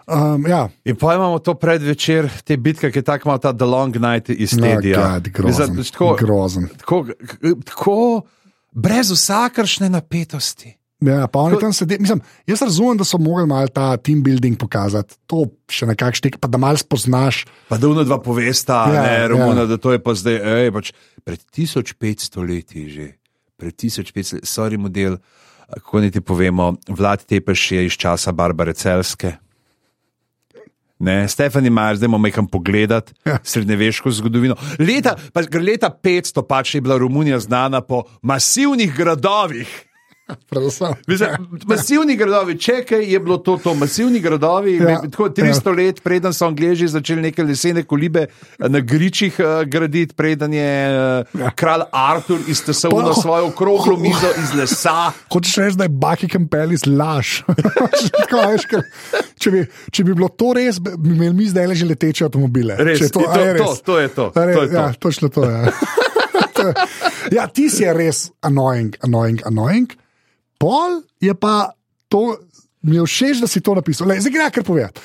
Um, ja. In pa imamo to predvečer, te bitke, ki je tako malo ta The Long Night iz Tedija. No, grozen, tako, grozen. Tako, tako brez vsakršne napetosti. Ja, pa oni tam sedi, mislim, jaz razumem, da so mogli malo ta team building pokazati, to še nekak štek, pa da malo spoznaš. Pa da uno dva povesta, ja, ne, Romuna, ja. Da to je pa zdaj, ej, pač, pred tisoč petsto leti že, pred tisoč petsto leti, sorry model, kako niti povemo, Vlad Tepeš je iz časa Barbare Celjske. Ne, Stephanie Meyer, zdaj bomo nekam pogledati ja. Srednjeveško zgodovino. Leta, pa, leta petsto pač je bila Romunija znana po masivnih gradovih. Mislim, masivni gradovi, čekaj, je bilo to, to masivni gradovi, ja, tako tristo ja. Let, preden so Angleži začeli neke lesene kolibe na gričih uh, graditi, preden je uh, ja. Kralj Artur iztesoval na svojo okroglo mizo iz lesa. Hočeš reči, da je Buckingham Palace laž. če, bi, če bi bilo to res, bi imeli mi zdaj že leteče avtomobile. Res, to, to, to, to, to je to. Res, to, je to. Ja, točno to je. Ja. Ja, ti si je res annoying, annoying, annoying. Pol je pa to, mi je všeč, da si to napisal. Lej, zdaj gre, kar povedati.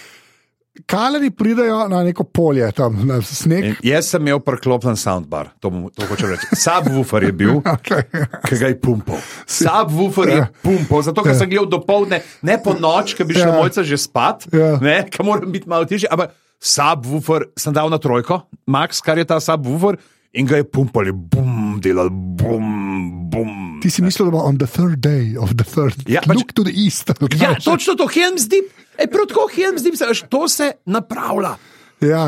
Kaleri pridajo na neko polje, tam na sneg. In jaz sem imel preklopljen soundbar, to, to hočem reči. Subwoofer je bil, okay. Ki ga je pumpal. Subwoofer je pumpal, zato ker sem gledal dopoldne, ne po noč, ker bi šel mojca že spat, ne, ker moram biti malo tišji, ampak subwoofer sem dal na trojko, max, kar je ta subwoofer, in ga je pumpali, bum, delal, bum, bum. Ti si mislil, da bo on the third day of the third, ja, look pač, to the east. Ja, točno to, Helm's Deep, e, prav tako Helm's Deep, se, to se napravlja. Ja,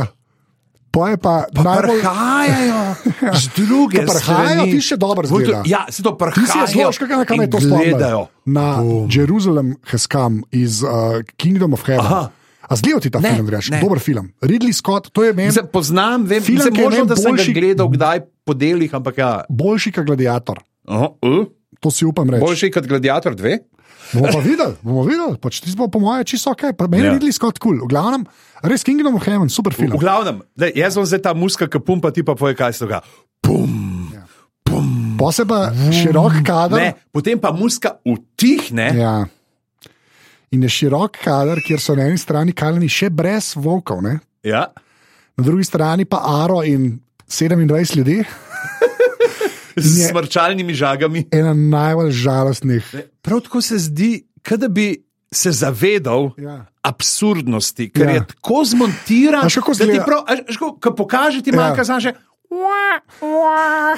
pa je pa... Pa najbolj... prhajajo z druge strani. Prhajajo, ti še dobro zgleda. Ja, se to prhajajo. Ti si je zloš, kakaj me to spomnil. Na bum. Jerusalem has come iz uh, Kingdom of Heaven. Aha. A zgledal ti ta ne, film, reč? Dober film. Ridley Scott, to je meni... Zdaj, poznam, vem, film, se možno, da sem boljši, ga gledal kdaj po delih, ampak ja... Boljši kot Gladiator. Aha, uh. To si upam reči. Boljši kot Gladiator dve? Bomo pa videli, bomo videli. Pač ti smo po moje čisto ok. Pa meni ja. Ridley Scott cool. V glavnem, res Kingdom of Heaven, super film. V, v glavnem, da, jaz bom zdaj ta muska, ki pumpa, ti pa poje, kaj se doga. Pum, ja. Pum. Pa se pa širok kader. Ne, potem pa muska utihne. Ja. In je širok kader, kjer so na eni strani Kaleni še brez volkov, ne? Ja. Na drugi strani pa Aro in sedemindvajset ljudi. Z smrčalnimi žagami. Ena najbolj žalostnih. Prav tako se zdi, kada bi se zavedal ja. Absurdnosti, ker ja. Je tako zmontiran, da ti prav, až, ko pokaže ti manjka, ja. Znaš,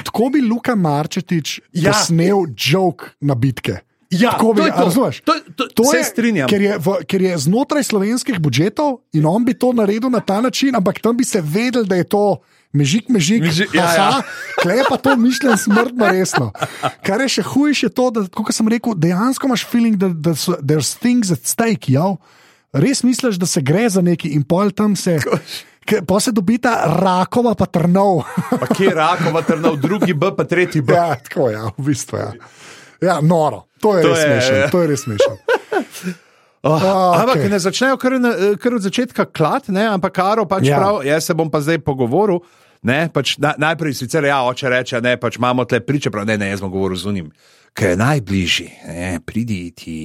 tako bi Luka Marčetič ja. Posnel joke na bitke. Ja, to bi, je to. To, to, to se strinjam. Ker je, v, ker je znotraj slovenskih budžetov in on bi to naredil na ta način, ampak tam bi se vedel, da je to mežik, mežik, mežik ja, ja. Klej pa to mišljen smrtno resno. Kar je še hujše to, da, kot sem rekel, dejansko imaš feeling, da, da so, there's things at stake, jav. Res misliš, da se gre za neki in pol tam se... Pa se dobita Rakova pa Trnov. Pa kje je Rakova Trnov, drugi B pa tretji B. Ja, tako ja, v bistvu ja. Ja, noro. To je to res smešno. To je res smešno. Oh, okay. Ampak ne začnejo kar, kar od začetka klat, ne? Ampak Karo pač ja. Prav, jaz se bom pa zdaj pogovoril, ne? Pač na, najprej sicer ja, oče reče, ne, pač imamo tle priče, prav, ne, ne, jaz bom govoril z unim, kaj je najbližji, ne, pridi ti,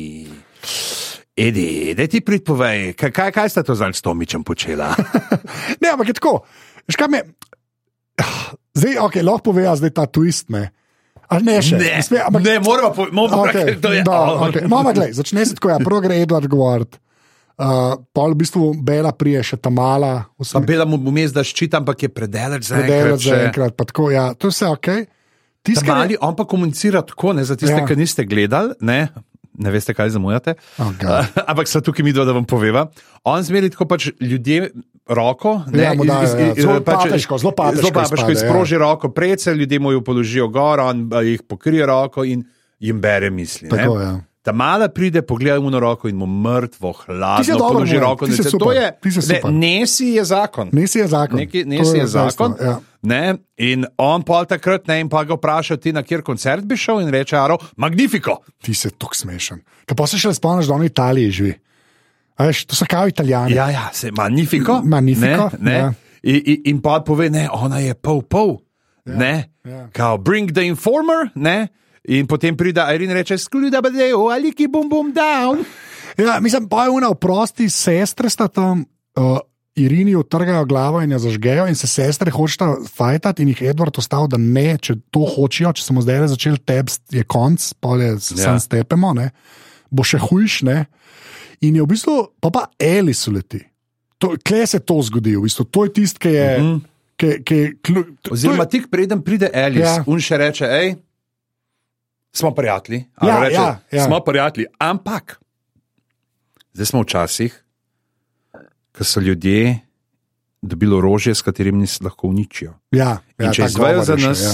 Edi, daj ti pridpovej, kaj, kaj, kaj sta to zdaj s Tomičem počela? Ne, ampak je tako, veš kaj me, zdaj, ok, lahko poveja zdaj ta twist, ne, ali ne še? Ne, Sme, ampak, ne moramo povedati, okay, to je. Da, okay. Mama, glej, začne se tako, ja, prvo gre Edward govoriti, uh, pol v bistvu Bela prije še ta mala. Pa Bela mu vmes da ščita, ampak je predeleč za enkrat. Predeleč za enkrat, pa tako, ja, to je vse ok. Mali, on pa komunicira tako, ne, za tiste, ja. Ki niste gledali, ne, ne veste, kaj zamujate, oh, uh, ampak so tukaj mi dva, da vam poveva. On zmeri tako pač ljudje, roko, ne, Ja, mu dajo, iz- ja. iz- Zelo pač- papeško, zelo papeško zelo papeško izpade, izproži roko predse, ljudje mu jo položijo gor, on a, jih pokrije roko in jim bere misli. ne. Tako, ja. Ta mala pride, pogleda mu na roko in mu mrtvo, Ti si hladno dober, položi Bojan, roko. ti si in reče, super, to je, ti si ne, super. nesi je zakon. Nesi je zakon. Neki, To nesi je dejstvo, zakon. ja. Ne, in on pol takrat ne, in pa ga vpraša, ti na kjer koncert bi šel, in reče: Aro, magnifico. Ti si tako smešen. Kaj pa se še spomniš, da on v Italiji živi? A veš, to so kao Italijani. Ja, ja, se magnifico. Magnifico, Ne, ne. ja. In, in, in pa pove, ne, ona je pol pol. Ja, ne, ja. kao bring the informer, ne. In potem pride Irene in reče: Skluda badeo, aliki bum bum down. Ja, mislim, pa je una oprosti, sestre sta tam, uh, Irini utrgajo glavo in jo zažgejo, in se sestre hočeta fajtati, in jih Edward ostal, da ne, če to hočejo, če smo zdaj začeli tep, je konc, pa je Ja. sam stepemo, ne, bo še hujš, ne. In je v bistvu, pa pa Alice uleti. To, kje se to zgodi, v bistvu, to je tisto, ki je. Mhm. Ki, ki, klu, to, Oziroma, tik preden pride Alice, Ja. ja. un še reče: Hej, smo prijatelji. Ali Ja, reče, ja, ja. Smo prijatelji, ampak zdaj smo v časih, ko so ljudje dobili orožje, s katerim nas lahko uničijo. ja, In ja, če ta izvejo govor za je še, nas, ja.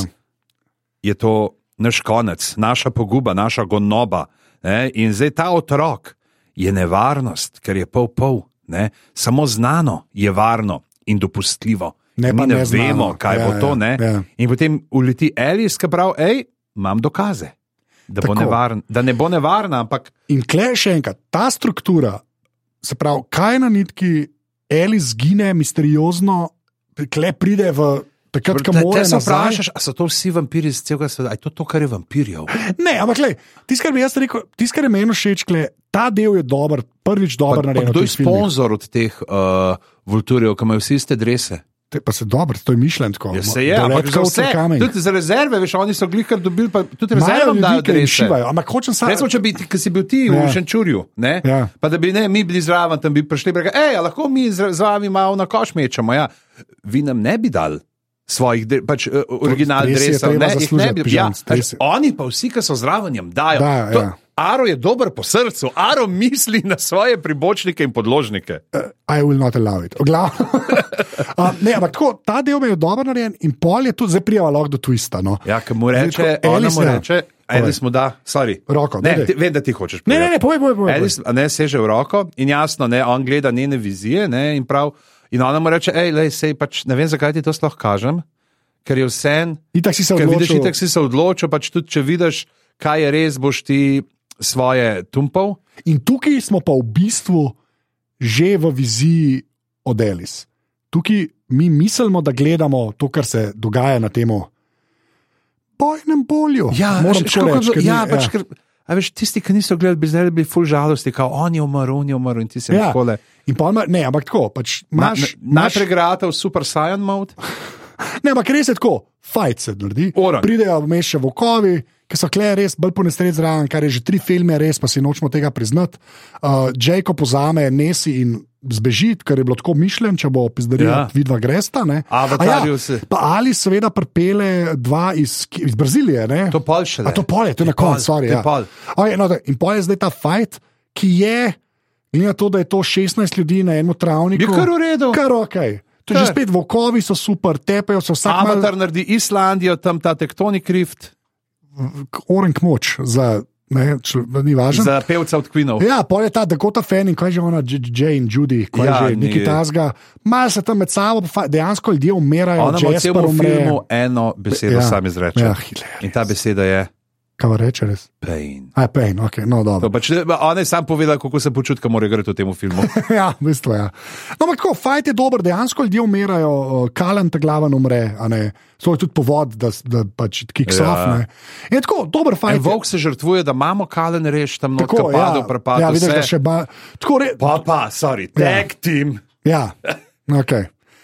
je to naš konec, naša poguba, naša gonoba. Ne? In zdaj ta otrok je nevarnost, ker je pol pol. Ne? Samo znano je varno in dopustljivo. Ne, Mi pa ne neznano. vemo, kaj Ja, bo to. ja, Ne? ja. In potem uleti Alice, ki pravi: Hej, imam dokaze, da, bo Tako. nevarn, da ne bo nevarna, ampak In klej še enkrat, ta struktura, se pravi, kaj na nitki Alice zgine misteriozno, klej pride v takrat, ko te, mora te se nazaj. vprašaš, ali so to vsi vampiri iz celega sveta, ali je to to, kar je vampirjev. Ne, ampak klej, tisto, kar bi jaz rekel, tisto, kar je meni všeč, klej, ta del je dober, prvič dober Pa, pa narejen. kdo je sponzor od teh uh, vulturjev, ki imajo vsi iste drese? Te, pa se dobro, to je mišljen tako. Ja, se je, ampak za vse, tudi za rezerve, veš, oni so glih kar dobili, pa tudi rezervam dajo drese. Šivajo, ampak hočem samo. Recimo, če bi, ti- ki si bil ti Ja. v Šenčurju, ne? Ja. Pa da bi ne, mi bili zraven, tam bi prišli in rekli: Ej, a lahko mi z, z vami malo na koš mečemo. Ja. Vi nam ne bi dali svojih, dre- pač uh, original stres je dresov, treba ne, jih ne zaslužiti, bi. Ja, pižam, pač, stres je. oni pa vsi, ki so zraven, jim dajo. Dajo, To- ja. Aro je dober po srcu, Aro misli na svoje pribočnike in podložnike. I will not allow it. Oglav. uh, ne, ampak tako, ta del je dobro narejen in pol je tudi zdaj prijava lahko do twista. No. Ja, ki mu Zdaj reče, tako, ona Alice, mu ja. reče, Alice mu da, sorry. Roko, Ne, daj, daj. ti, vem, da ti hočeš Ne, povedati. ne, ne, povej, povej, povej. Alice, a ne, seže v roko in jasno, ne, on gleda njene vizije, ne, in prav. In ona mu reče: Ej, lej, sej pač ne vem, zakaj ti to sploh kažem, ker je vse en. Itak si se Ker vidiš, odločil. itak si se odločil, pač tudi če vidiš, kaj je res, boš ti svoje tumpal. In tukaj smo pa v bistvu že v viziji od Alice. Tukaj mi mislimo, da gledamo to, kar se dogaja na tem bojnem polju. moram veš, tako kako reči. je bilo- ker ni- ja, pač, ker, a veš, tisti, ki niso gledali, bi zdaj bili full žalosti, kao on je umrl, on je umrl in ti se Ja. takole. In pa ima, ne, ampak tako, pač Na, imaš, na, imaš, najprej grata v Super Saiyan mode. ne, ampak res je tako, fajt se naredi. Orang. Pridejo vmes še vokovi, ki so kle res bolj ponesredi zraven, kar je že tri filme, res pa si nočemo tega priznati. Uh, Jacob pozame Nesi in zbeži, ker je bilo tako mišljen, če bo pizdarija, Ja. ja. vidva gresta. Ne. Avatarju A ja, se- pa ali seveda pripele dva iz, iz Brazilije. Ne. To pol šele. A to pol je, to je na pol, koncu, sorry. to je Ja. pol. Okay, no, da- in pol je zdaj ta fajt, ki je, glede na to, da je to šestnajst ljudi na enem travniku. Je kar v redu. Kar ok. To je že Kar. spet vokovi, so super, tepejo se vsak mal, Avatar naredi Islandijo, tam ta tektonik rift orenk moč za, ne, čl, ni važno. za pevca od Queenov. Ja, pol je ta Dakota Fanning, kaj je že ona, J- Jane, Judy, kaj Ja, je že, ni- neki tasga. Malo se tam med sabo, pa fa- dejansko ljudje umirajo, Ona ima v Jasper celem umre. filmu eno besedo Ja. sam izreče. Ja, hilarious. In ta beseda je Kaj reče res? pain. Aj, pain, ok, no To dobro. pač, ona je sam povedala, kako se počuti, ko mora igrati v tem filmu. Ja, v bistvu ja. No, ampak tako, fajt je dober, dejansko ljudje umirajo, Kalen te glaven umre, a ne. To je tudi povod, da, da pač kicks Ja. off, ne. In tako, dober En fajt. je. volk se žrtvuje, da imamo kalen reš tam noter, Tako, padel, prepadel. ja, vidiš, da vse. še ba... Tako, re... Pa pa, sorry, tag team. Ja, ok.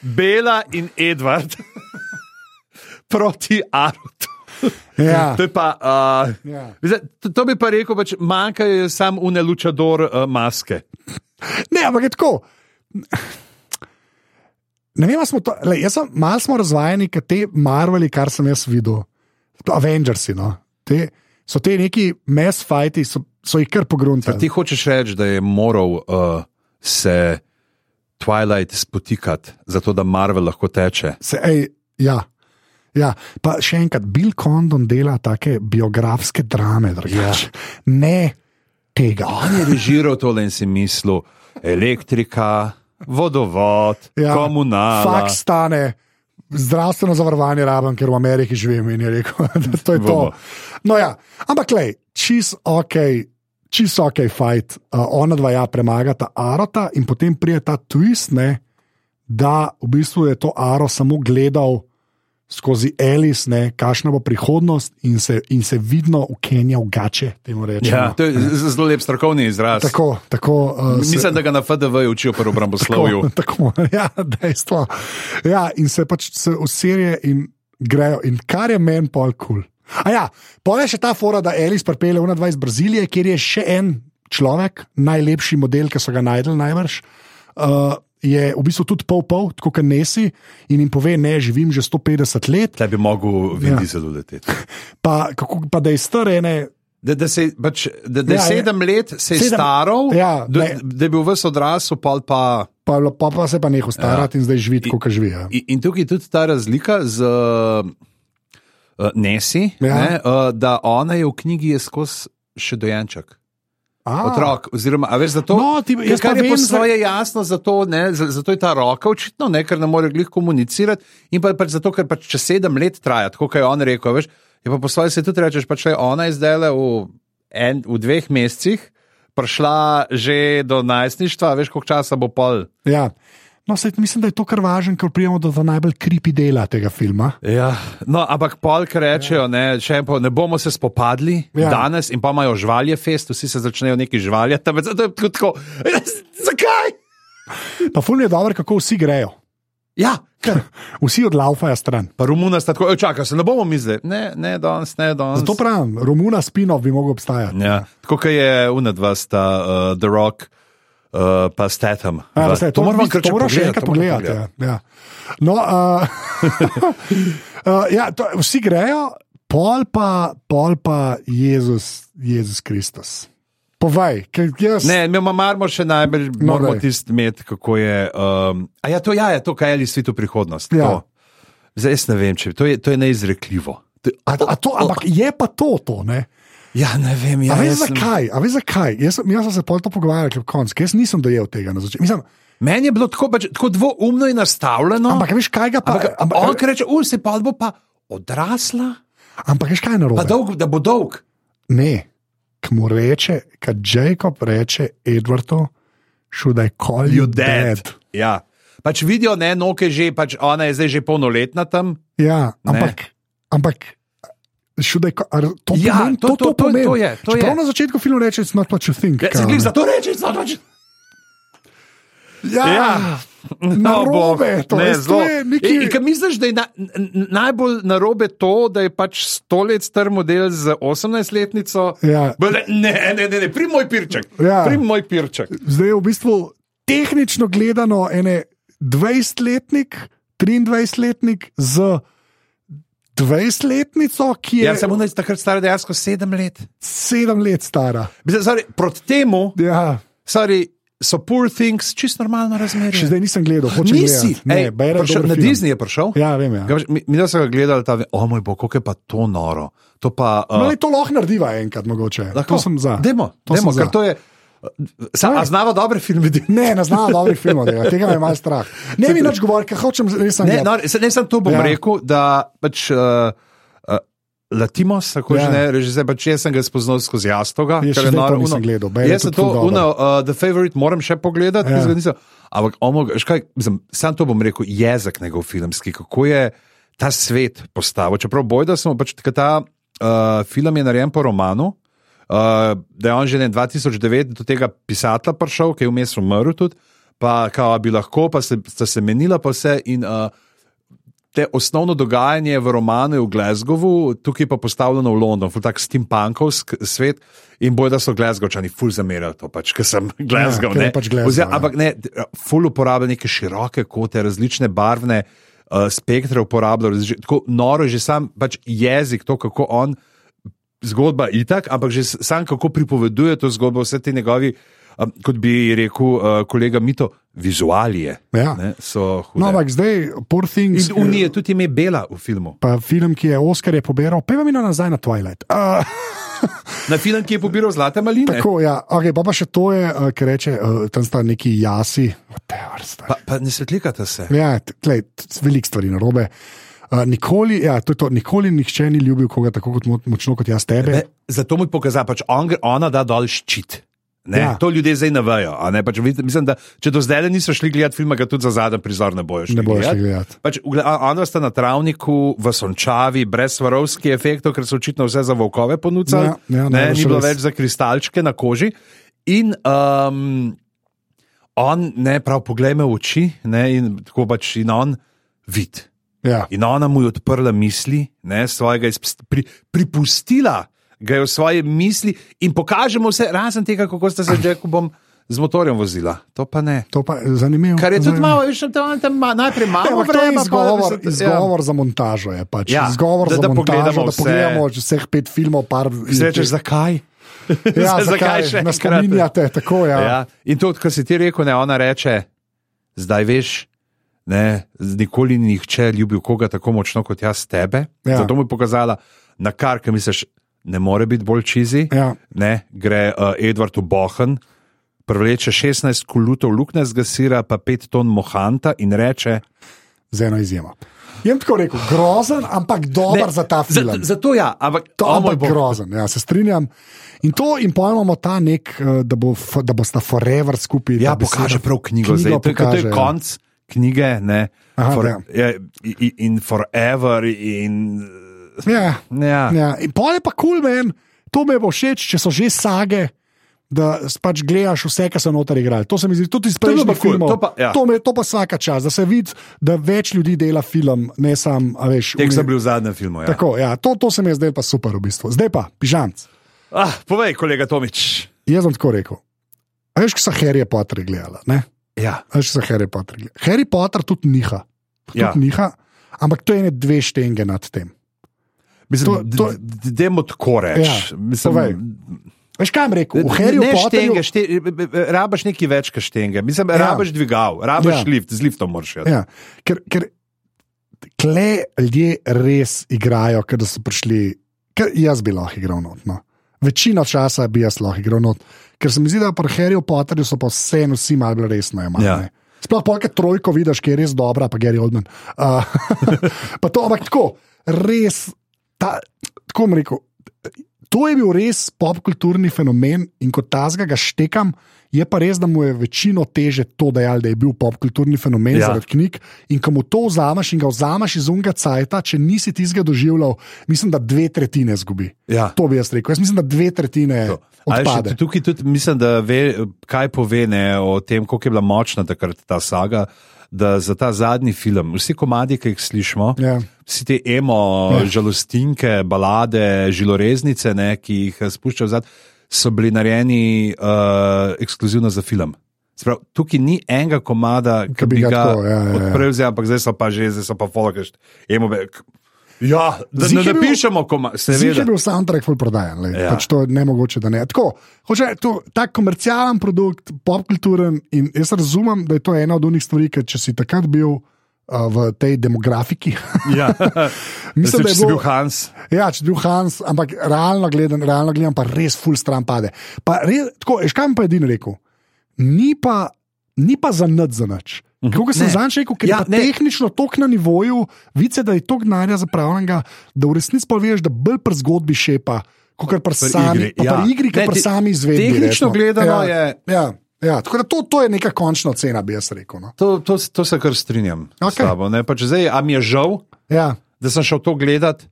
Bela in Edward proti Arotu. Ja. To, je pa, uh, Ja. ja. to, to bi pa rekel, pač manjkajo samo une lučador uh, maske. Ne, ampak je tako. Ne vem, ali smo to. Le, jaz sem malo smo razvajeni, ker te Marveli, kar sem jaz videl, Avengersi, no, te, so te neki mass fighti, so, so jih kar pogruntali. Ti hočeš reči, da je moral uh, se Twilight spotikati, zato da Marvel lahko teče. Se, ej, ja. Ja, pa še enkrat, Bill Condon dela take biografske drame, drugače. Ja. Ne tega. On je režiral tole in si mislil, elektrika, vodovod, ja, komunala. Fakt stane, zdravstveno zavarovanje rabam, ker v Ameriki živim in je rekel, da to je to. No ja, ampak lej, čist ok, čist ok fight, uh, ona dva ja premagata Arota in potem prije ta twist, ne, da v bistvu je to Aro samo gledal skozi Alice, ne, kakšna bo prihodnost in se, in se vidno ukenjal gače, temu rečemo. Ja, to je zelo lep strokovni izraz. Tako, tako. Uh, Mislim, se, da ga na F D V učijo pri obramboslovju. Tako, tako, ja, dejstvo. Ja, in se pač se usirje in grejo. In kar je meni pol kul. Cool. A ja, pol je še ta fora, da Alice pripelje ona dva iz Brazilije, kjer je še en človek, najlepši model, ki so ga najdel najbrž. Uh, je v bistvu tudi pol-pol, tako kot Nesi, in jim pove, ne, živim že sto petdeset let. Da bi mogel Vin Diesel leteti. Pa, kako, pa da je star ene... Da, da, se, pač, da, da ja, sedem je, let se je sedem, staral, ja, da, da je bil ves odrasel, pa pa... Pa, pa, pa se pa nehal starati ja. In zdaj živi tako, kot živi. Ja. In, in tukaj je tudi ta razlika z uh, Nesi, ja. Ne, uh, da ona je v knjigi je skozi še dojenček. A. Otrok, oziroma, a veš, zato, no, ti, kar je po svoje jasno, zato, ne, zato je ta roka očitno, ne, ker ne more glih komunicirati in pa pač zato, ker pač če sedem let traja, tako kot je on rekel, veš, je pa po svoje se tudi rečeš, pač le ona je zdaj v, en, v dveh mesecih prišla že do najstništva, veš, koliko časa bo pol. Ja. No, sej, mislim, da je to kar važno, ker prijemo do najbolj creepy dela tega filma. Ja, no, ampak pol, ker rečejo, ne, še en po, ne bomo se spopadli ja. Danes in pa imajo žvalje fest, vsi se začnejo neki žvaljati, ampak zato je tako, zakaj? Pa ful je dobro, kako vsi grejo. Ja, ker vsi odlaufajo stran. Pa Romuna sta tako, čakaj, se ne bomo mislili, ne, ne danes, ne danes. Zato pravim, Romuna spin-off bi mogel obstajati. Ja, tako kot je unadva sta uh, The Rock, Uh, pa Statham. Ja, to to moramo še enkrat pogledati. Ja. Ja. No, uh, uh, ja, to, vsi grejo, pol pa, pol pa Jezus, Jezus Kristus. Povej, ker jaz... Ne, mi imamo še najbolj, no, moramo tisti imeti, kako je... Um, a ja, to ja, je to, kaj je svitu prihodnost. Ja. Zdaj, jaz ne vem, če to je, to je neizrekljivo. To, a, a to, ampak je pa to, to, ne? Ja, ne vem, ja. A veš zakaj? A veš zakaj? Jaz, jaz sem se pol to pogovarjal, kljub konc, ker jaz nisem dojel tega na začetku. Meni je bilo tako, bač, tako dvoumno in nastavljeno. Ampak veš kaj ga pa... Ampak, ampak, on kaj reče, ul, se pa bo pa odrasla. Ampak veš kaj je narobe? Pa dolg, da bo dolg. Ne, k mu reče, kad Jacob reče Edwardu, should I call you, you dead? dead? Ja, pač vidijo, ne, Noke že, pač ona je zdaj že polnoletna tam. Ja, ampak... ampak Šudaj, to, ja, pomen, to, to, to, to, to, to je. To je. Prav na začetku filmu reče, it's not what you think. Ja, se glih za to reče, it's not what you think. Ja, ja. Narobe, to, ne, to je nekaj... In, in misliš, da je na, najbolj narobe to, da je pač sto let star model z osemnajstletnico? Ja. Ne, ne, ne, ne, prim moj pirček. Ja. Prim moj pirček. Zdaj je v bistvu tehnično gledano ene dvajsetletnik, triindvajsetletnik z... dvajsetletnico, ki je... Ja, sem ona takrat stara dejansko sedem let. Sedem let stara. Sorry, proti temu, ja. sorry, so Poor Things čisto normalno razmerje. Še zdaj nisem gledal, hočem Nisi. gledati. Ne, Ej, prišel, na film. Disney je prišel. Ja, vem, ja. Mi, mi da so ga gledali, ta, o moj bog, kako je pa to noro. To pa... Uh, no, to lahko narediva enkrat mogoče. Lahko. To sem za. Demo, to demo, sem ker to je... Sa, a znava dobre filme? Ne, ne znava dobrih filmov, tega, tega me je malo strah. Ne mi nič govori, ker hočem res sem... Ne, no, ne sem to bom ja. rekel, da pač... Uh, Latimos, tako ja. že ne, režiser, pač jaz sem ga spoznal skozi Jastoga. Jaz še zdaj to nisem gledal. Jaz sem to, uno, uh, The Favorite, moram še pogledati, ja. nisem, ampak sam to bom rekel, jezik njegov filmski, kako je ta svet postavil. Čeprav boj, da smo, pač ta uh, film je narejen po romanu, uh, da je on že ne dva tisoč devet do tega pisatla prišel, ki je vmes umrl tudi, pa kao bi lahko, pa se, sta se menila pa vse in... Uh, Te osnovno dogajanje v romanu je v Glasgowu, tukaj pa postavljeno v London, ful tak steampunkovsk svet in boj, da so Glasgowčani ful zamerali to, pač, ker sem Glasgow, ja, ne. Pač Glasgow, Ozir, ampak ne, ful uporablja neke široke kote, različne barvne uh, spektre uporablja, tako noro je že sam pač jezik, to kako on, zgodba itak, ampak že sam kako pripoveduje to zgodbo, vse te njegovi, um, kot bi rekel uh, kolega Mito, vizualije Ja. ne, so hude. No, ampak zdaj, Poor Things. In Unije tudi ime Bela v filmu. Pa film, ki je Oscar je pobiral, pa mi nazaj na Twilight. Uh, Na film, ki je pobiral Zlate maline. tako, ja, okay, pa, pa še to je, uh, ki reče, uh, tam sta neki jasi. Pa, pa ne svetlikate se. Ja, tlej, veliko stvari narobe. Uh, nikoli, ja, to je to, nikoli nihče ni ljubil koga tako kot mo močno kot jaz tebe. Ne, zato mu pokaza, pač on, ona da dol ščit. Ne, Ja. To ljudje zdaj ne vejo. a Ne, pač, vid- mislim, da če do zdaj niso šli gledati filma, ga tudi za zadnji prizor ne bojo šli Ne bojo šli gledati. gledati. Pač, ugle- a- ona sta na travniku v sončavi, brez svarovskih efektov, ker so očitno vse za volkove ponudili. Ja, ja, ne, najbrž ni bilo res. več za kristalčke na koži. In um, on, ne, prav poglej me v oči, ne, in tako pač in on vid. Ja. In ona mu je odprla misli, ne, svojega izpst, pri, pripustila ga je v svoje misli in pokažemo vse, razen tega, kako sta se z Jacobom z motorjem vozila. To pa ne. To pa je zanimivo. Kar je tudi Zanimivo. malo, veš, tam, tam ma- najprej Ja, malo ampak to je vreme, izgovor, pa, izgovor za montažo. Je pač. Ja, izgovor da- za da montažo, pogledamo da vse. pogledamo vseh pet filmov. Par, ja. Rečeš, zakaj? ja, Zakaj zakaj še nas enkrat? spominjate? Tako, ja. Ja. In to, kar si ti rekel, ne, ona reče, zdaj veš, ne, nikoli ni nihče ljubil koga tako močno kot jaz tebe. Ja. Zato mu je pokazala, na kar, ki misliš, ne more biti bolj čizi. Ja. Ne, gre uh, Edward v Bohen, privleče šestnajst kulutov luknjastega sira, pa pet ton mohanta in reče: Z eno izjemo. Jem tako rekel, grozen, ampak dober za ta film. Za, zato ja, ampak To o moj je bog. grozen, ja, se strinjam. In to, in pojmemo ta nek, eh, da, bo, f- da bosta forever skupaj. Ja, ta beseda- pokaže prav knjigo, knjigo zdaj. To, je- to pokaže, je ja. konc knjige, ne. Aha, For, ja. ja, in, in forever, in Ja, ja. ja. In pol je pa kul, cool, men, to me bo všeč, če so že sage. Da pač gledaš vse, kar so noter igrali. To se mi zdi tudi iz To je bilo prejšnjih pa kul, filmov. to pa- ja. To, me, to pa vsaka čas, da se vidi, da več ljudi dela film, ne sam, a veš. Tek uni- sem bil v zadnjem filmu. Ja. Tako, ja, to, to se mi je zdaj pa super v bistvu. Zdaj pa, pižamc. Ah, povej, kolega Tomič. Jaz sem tako rekel. A veš, ko so Harry Potter gledala, ne? Ja. A veš, ko so Harry Potter gledala. Harry Potter tudi niha. Tudi Ja. niha, ampak to je ene dve štenge nad tem. Mislim, To- to- Dajmo tako reči. Ja, Mislim, povej. Veš, kaj jim rekel? V Harry ne Potterju. štenge, šte, rabaš nekaj več, kot štenge. Mislim, Ja. rabaš dvigal, rabaš Ja. lift, z liftom moraš iti. Ja, ker, ker kle ljudje res igrajo, ker da so prišli. Ker jaz bi lahko igral not. No. Večino časa bi jaz lahko igral not. Ker se mi zdi, da pri Harryju Potterju so pa vseeno vsi malo bolj resno jemali. Ja. ne. Sploh polka trojko vidiš, ki je res dobra, pa Gary Oldman. Uh, pa to, ampak tako, res, ta, tako bom rekel. To je bil res popkulturni fenomen in kot tazga ga štekam, je pa res, da mu je večino teže to dejal, da je bil popkulturni fenomen Ja. ja. zaradi knjig. In ko mu to vzameš in ga vzameš iz unga cajta, če nisi tizga doživljal, mislim, da dve tretjine zgubi. Ja. To bi jaz rekel. Jaz mislim, da dve tretjine Ali še odpade. tukaj tudi mislim, da ve, kaj pove ne, o tem, koliko je bila močna takrat ta saga. Da za ta zadnji film, vsi komadi, ki jih slišimo, Ja. vsi te emo, Ja. žalostinke, balade, žiloreznice, ne, ki jih spuščajo zadaj, so bili narejeni uh, ekskluzivno za film. Sprav, tukaj ni enega komada, ki bi ga tako, ja, ja, ja. odprl, zdaj, ampak zdaj so pa že, zdaj so pa folkaš. Ja, da Zih ne je bil- napišemo komada. Zdi se, da je bil soundtrack full prodajen, Ja. ja. pač to je nemogoče, da ne. Tako, hoče, to, tak komercialen produkt, popkulturen in jaz razumem, da je to ena od unih stvari, ker če si takrat bil uh, v tej demografiki, Ja. mislim, da je bil bilo, Hans. ja, če si bil Hans, ampak realno gledam, realno gledam pa res full stran pade. Pa res, tako, veš, kaj mi pa edino rekel? Ni pa, ni pa za nič za nič. Kako sem Ne. zanj rekel, ker Ja, ja, je pa ne. tehnično tok na nivoju, vice, da je tok denarja zapravljenega, da v resnici pa veš, da bolj pri zgodbi šepa, kot pri sami igri, pa ja. pri igri, kot Ne, pri te- sami izvedbi. tehnično resno. gledano ja, je- Ja, ja, tako da to, to je neka končna cena, bi jaz rekel. No. To, to, to se kar strinjam okay. s Okej. tabo. ne. Pač zdaj, a mi je žal, Ja, da sem šel to gledat,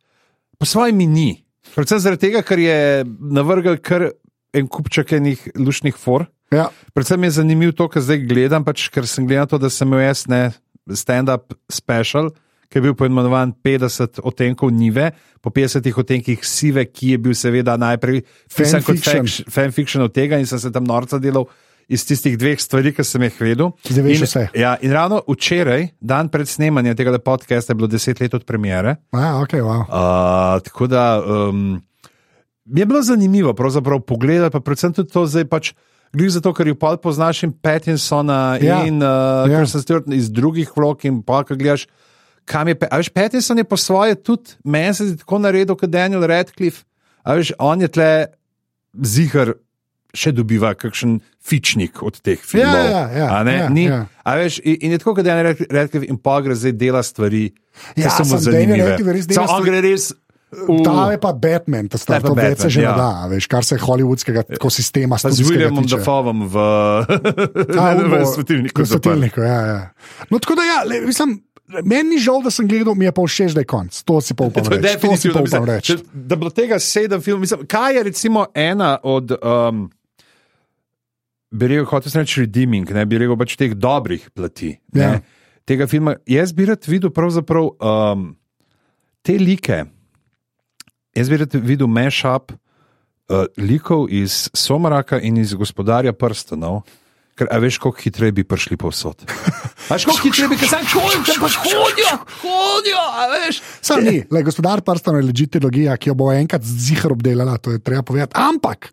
po svojem mi ni. Predvsem zaradi tega, ker je navrgel kar en kupček enih lušnih for. ja, Predvsem je zanimivo to, kar zdaj gledam, pač, ker sem gledal to, da sem imel jaz ne stand-up special, ki je bil poimenovan petdeset odtenkov nive, po petdesetih odtenkih sive, ki je bil seveda najprej pisan kot Fanfiction. fanfiction od tega in sem se tam norca delal iz tistih dveh stvari, ki sem jih vedel. Zdaj veš in, vse. ja, in ravno včeraj, dan pred snemanjem tega podcasta, je bilo deset let od premiere. ja okay, wow. Uh, tako da um, mi je bilo zanimivo pravzaprav pogledati, pa predvsem tudi to zdaj pač. glih zato, ker jo pol poznaš in Pattinsona Ja. in uh, Ja. Kristen Stewart iz drugih vlog in pa, ko gledaš, kam je, a veš, Pattinson je po svoje tudi, meni se zdi tako naredil kot Daniel Radcliffe, a veš, on je tle zihar še dobiva kakšen fičnik od teh filmov. Ja, ja, ja, a ne, ja, ni, ja. a veš, in, in je tako, kot Daniel Radcliffe in pa gre zdaj dela stvari, ki Ja, so mu samo Daniel zanimive. Radcliffe res dela Samo on stvari- gre res v- Ta je pa Batman, ta star, Ta je pa to več se Batman, že ja. ne da, veš, kar se hollywoodskega ekosistema Pa z Williamom Dafoeom v, v svetilniku. V svetilniku, ja, ja. No, tako da ja, le, mislim, meni ni žal, da sem gledal, mi je pa všeč, da je konc. To si pa upam To je reči. To si definitivno, pa upam mislim, reči. če- da bilo tega sedem filmov. Mislim, kaj je recimo ena od, um, bi rekel, hotel sem reči redeeming, ne bi rekel pač teh dobrih plati. Ja. Ne, tega filma. Jaz bi rad videl pravzaprav um, te like. Jaz bi rad videl mashup uh, likov iz Somraka in iz Gospodarja prstanov. Ker, a veš, koliko hitreje bi prišli povsod. A veš, koliko hitreje bi, ker sem čutil, da pač hodijo, hodijo, a veš. Sam ni, le, gospodar prstanov je legitimologija, ki jo bo enkrat zihar obdelala, to je treba povedati. Ampak,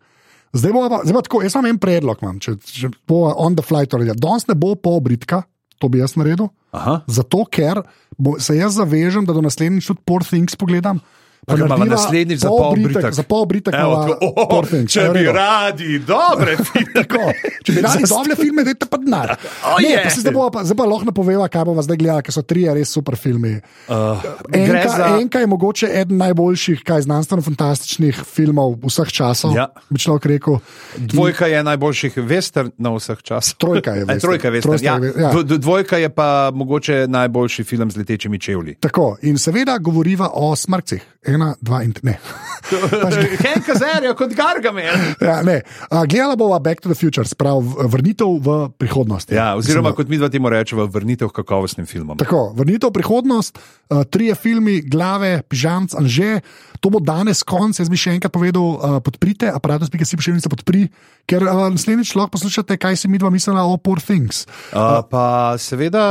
zdaj bo pa, zdaj bo tako, jaz imam en predlog, imam, če, če bo on the fly to naredil. Danes ne bo pol britka, to bi jaz naredil, Aha. zato ker bo, se jaz zavežem, da do naslednjič tudi Poor Things pogledam. Pa Pa narediva naslednjič za pol pol britek- britek. Za pol britek Evo, na tako, oh, Poor Things. če Je v bi redu? radi dobre filme. Tako, če bi radi dobre filme, dajte pa denar. Oh, Ne, je. pa se zdaj bo pa, zdaj pa lahko napoveva, kaj bomo zdaj gledali, ker so trije res super filmi. Uh, gre Enka, za... enka je mogoče eden najboljših, kaj znanstveno-fantastičnih filmov vseh časov. Ja. Bi človek rekel. Dvojka je najboljših westernov vseh časov. Trojka je Aj, western. trojka je western. Trojka Ja. je we- ja. Dv- dv- Dvojka je pa mogoče najboljši film z letečimi čevlji. Tako, in seveda govoriva o smrkcih. Ena, dva in tri. Henk Azarja kot Gargamel. Ja, ne. A, gledala bova Back to the Future, sprav vrnitev v prihodnost. Ja, oziroma, Mislim, kot mi dva temu rečemo, vrnitev k kakovostnim filmom. Tako, vrnitev v prihodnost, uh, trije filmi, glave, pižamc, anže. To bo danes konc, jaz bi še enkrat povedal, uh, podprite, aparatus, ki si pošiljnica podpri, ker uh, naslednjič lahko poslušate, kaj si mi dva mislila o Poor Things. Uh, pa seveda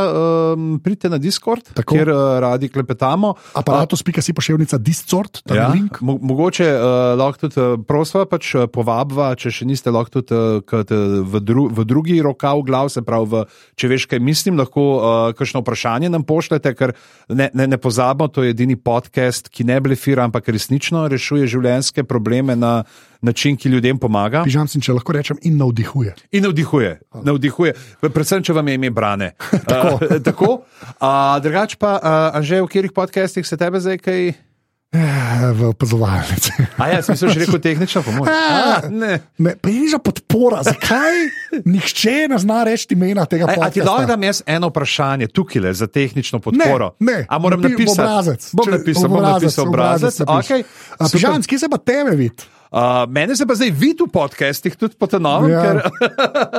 um, pridite na Discord, Tako. kjer uh, radi klepetamo. Aparatus, ki si pošiljnica Discord, ta Ja, link. mo mogoče uh, lahko tudi uh, prosva, pač uh, povabva, če še niste, lahko tudi uh, kot, uh, v, dru v drugi rokav glav, se pravi, v, če veš, kaj mislim, lahko uh, kakšno vprašanje nam pošljete, ker ne, ne, ne pozabimo, to je edini podcast, ki ne blefira, ampak resnično rešuje življenjske probleme na način, ki ljudem pomaga. Pižamc, in če lahko rečem, in navdihuje. In navdihuje, navdihuje. Predvsem, če vam je ime Brane. Tako. Uh, tako. Uh, drugač pa, uh, Anže, v katerih podcastih se tebe zdaj kaj... Eh, V opazovalnici. A ja, sem se že rekel tehnično pomoč. A, Ne. Ne, pa je že podpora, zakaj nihče ne zna reči imena tega A, a ti podcasta? lahko dam jaz eno vprašanje tukaj le za tehnično podporo? Ne, ne. A moram Napi- v napisati? obrazec. Bom Če- napisal, v bom obrazec, napisal v obrazec. obrazec napiš. Okay. A, Pižamc, kje se pa tebe vidi? Uh, mene se pa zdaj vidi v podcastih, tudi po tenovem, Ja. ker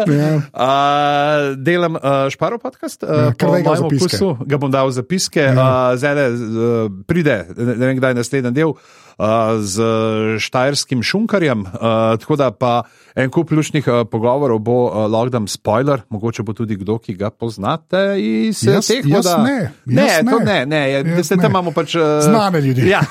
Ja. uh, delam uh, Šparo podcast. Uh, Ja, kar po daj ga v mojem zapiske. okusu ga bom dal v zapiske. Ja. Uh, zdaj uh, pride, ne, ne vem kdaj naslednji del. Uh, z štajerskim šunkarjem, uh, tako da pa en kup lušnih uh, pogovorov bo uh, lahko dam spoiler, mogoče bo tudi kdo, ki ga poznate iz Jaz- teh jaz voda. ne, ne, jaz to ne. ne, ne, je, Jaz se ne. tam imamo pač uh, Znane ljudi. Ja.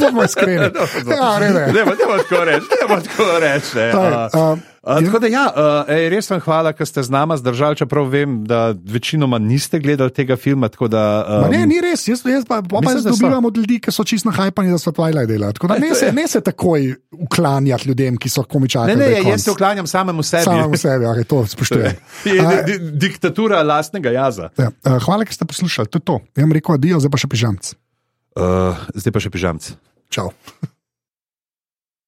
Bomo iskreni. Ja, ne, ne. Ne, ne bo tako reči, ne bo tako reči. ne. Taj, A, a, a, Tako da ja, uh, ej, res vam hvala, ker ste z nama zdržali, čeprav vem, da večinoma niste gledali tega filma. Tako da, Ma um, ne, ni res, jaz, jaz pa, pa Mislim, jaz da so. dobivam od ljudi, ki so čisto nahajpani, da so Twilight delali. Tako da ne se, ne se takoj uklanjati ljudem, ki so komičaki. ne, ne, jaz se uklanjam samemu sebi. Samemu sebi, okay, to spoštujem. Je A, di- di- Diktatura lastnega jaza. ja, a, hvala, ker ste poslušali, to je to. Jaz vam rekel adijo, zdaj pa še pižamc. Uh, zdaj pa še pižamc. Čau.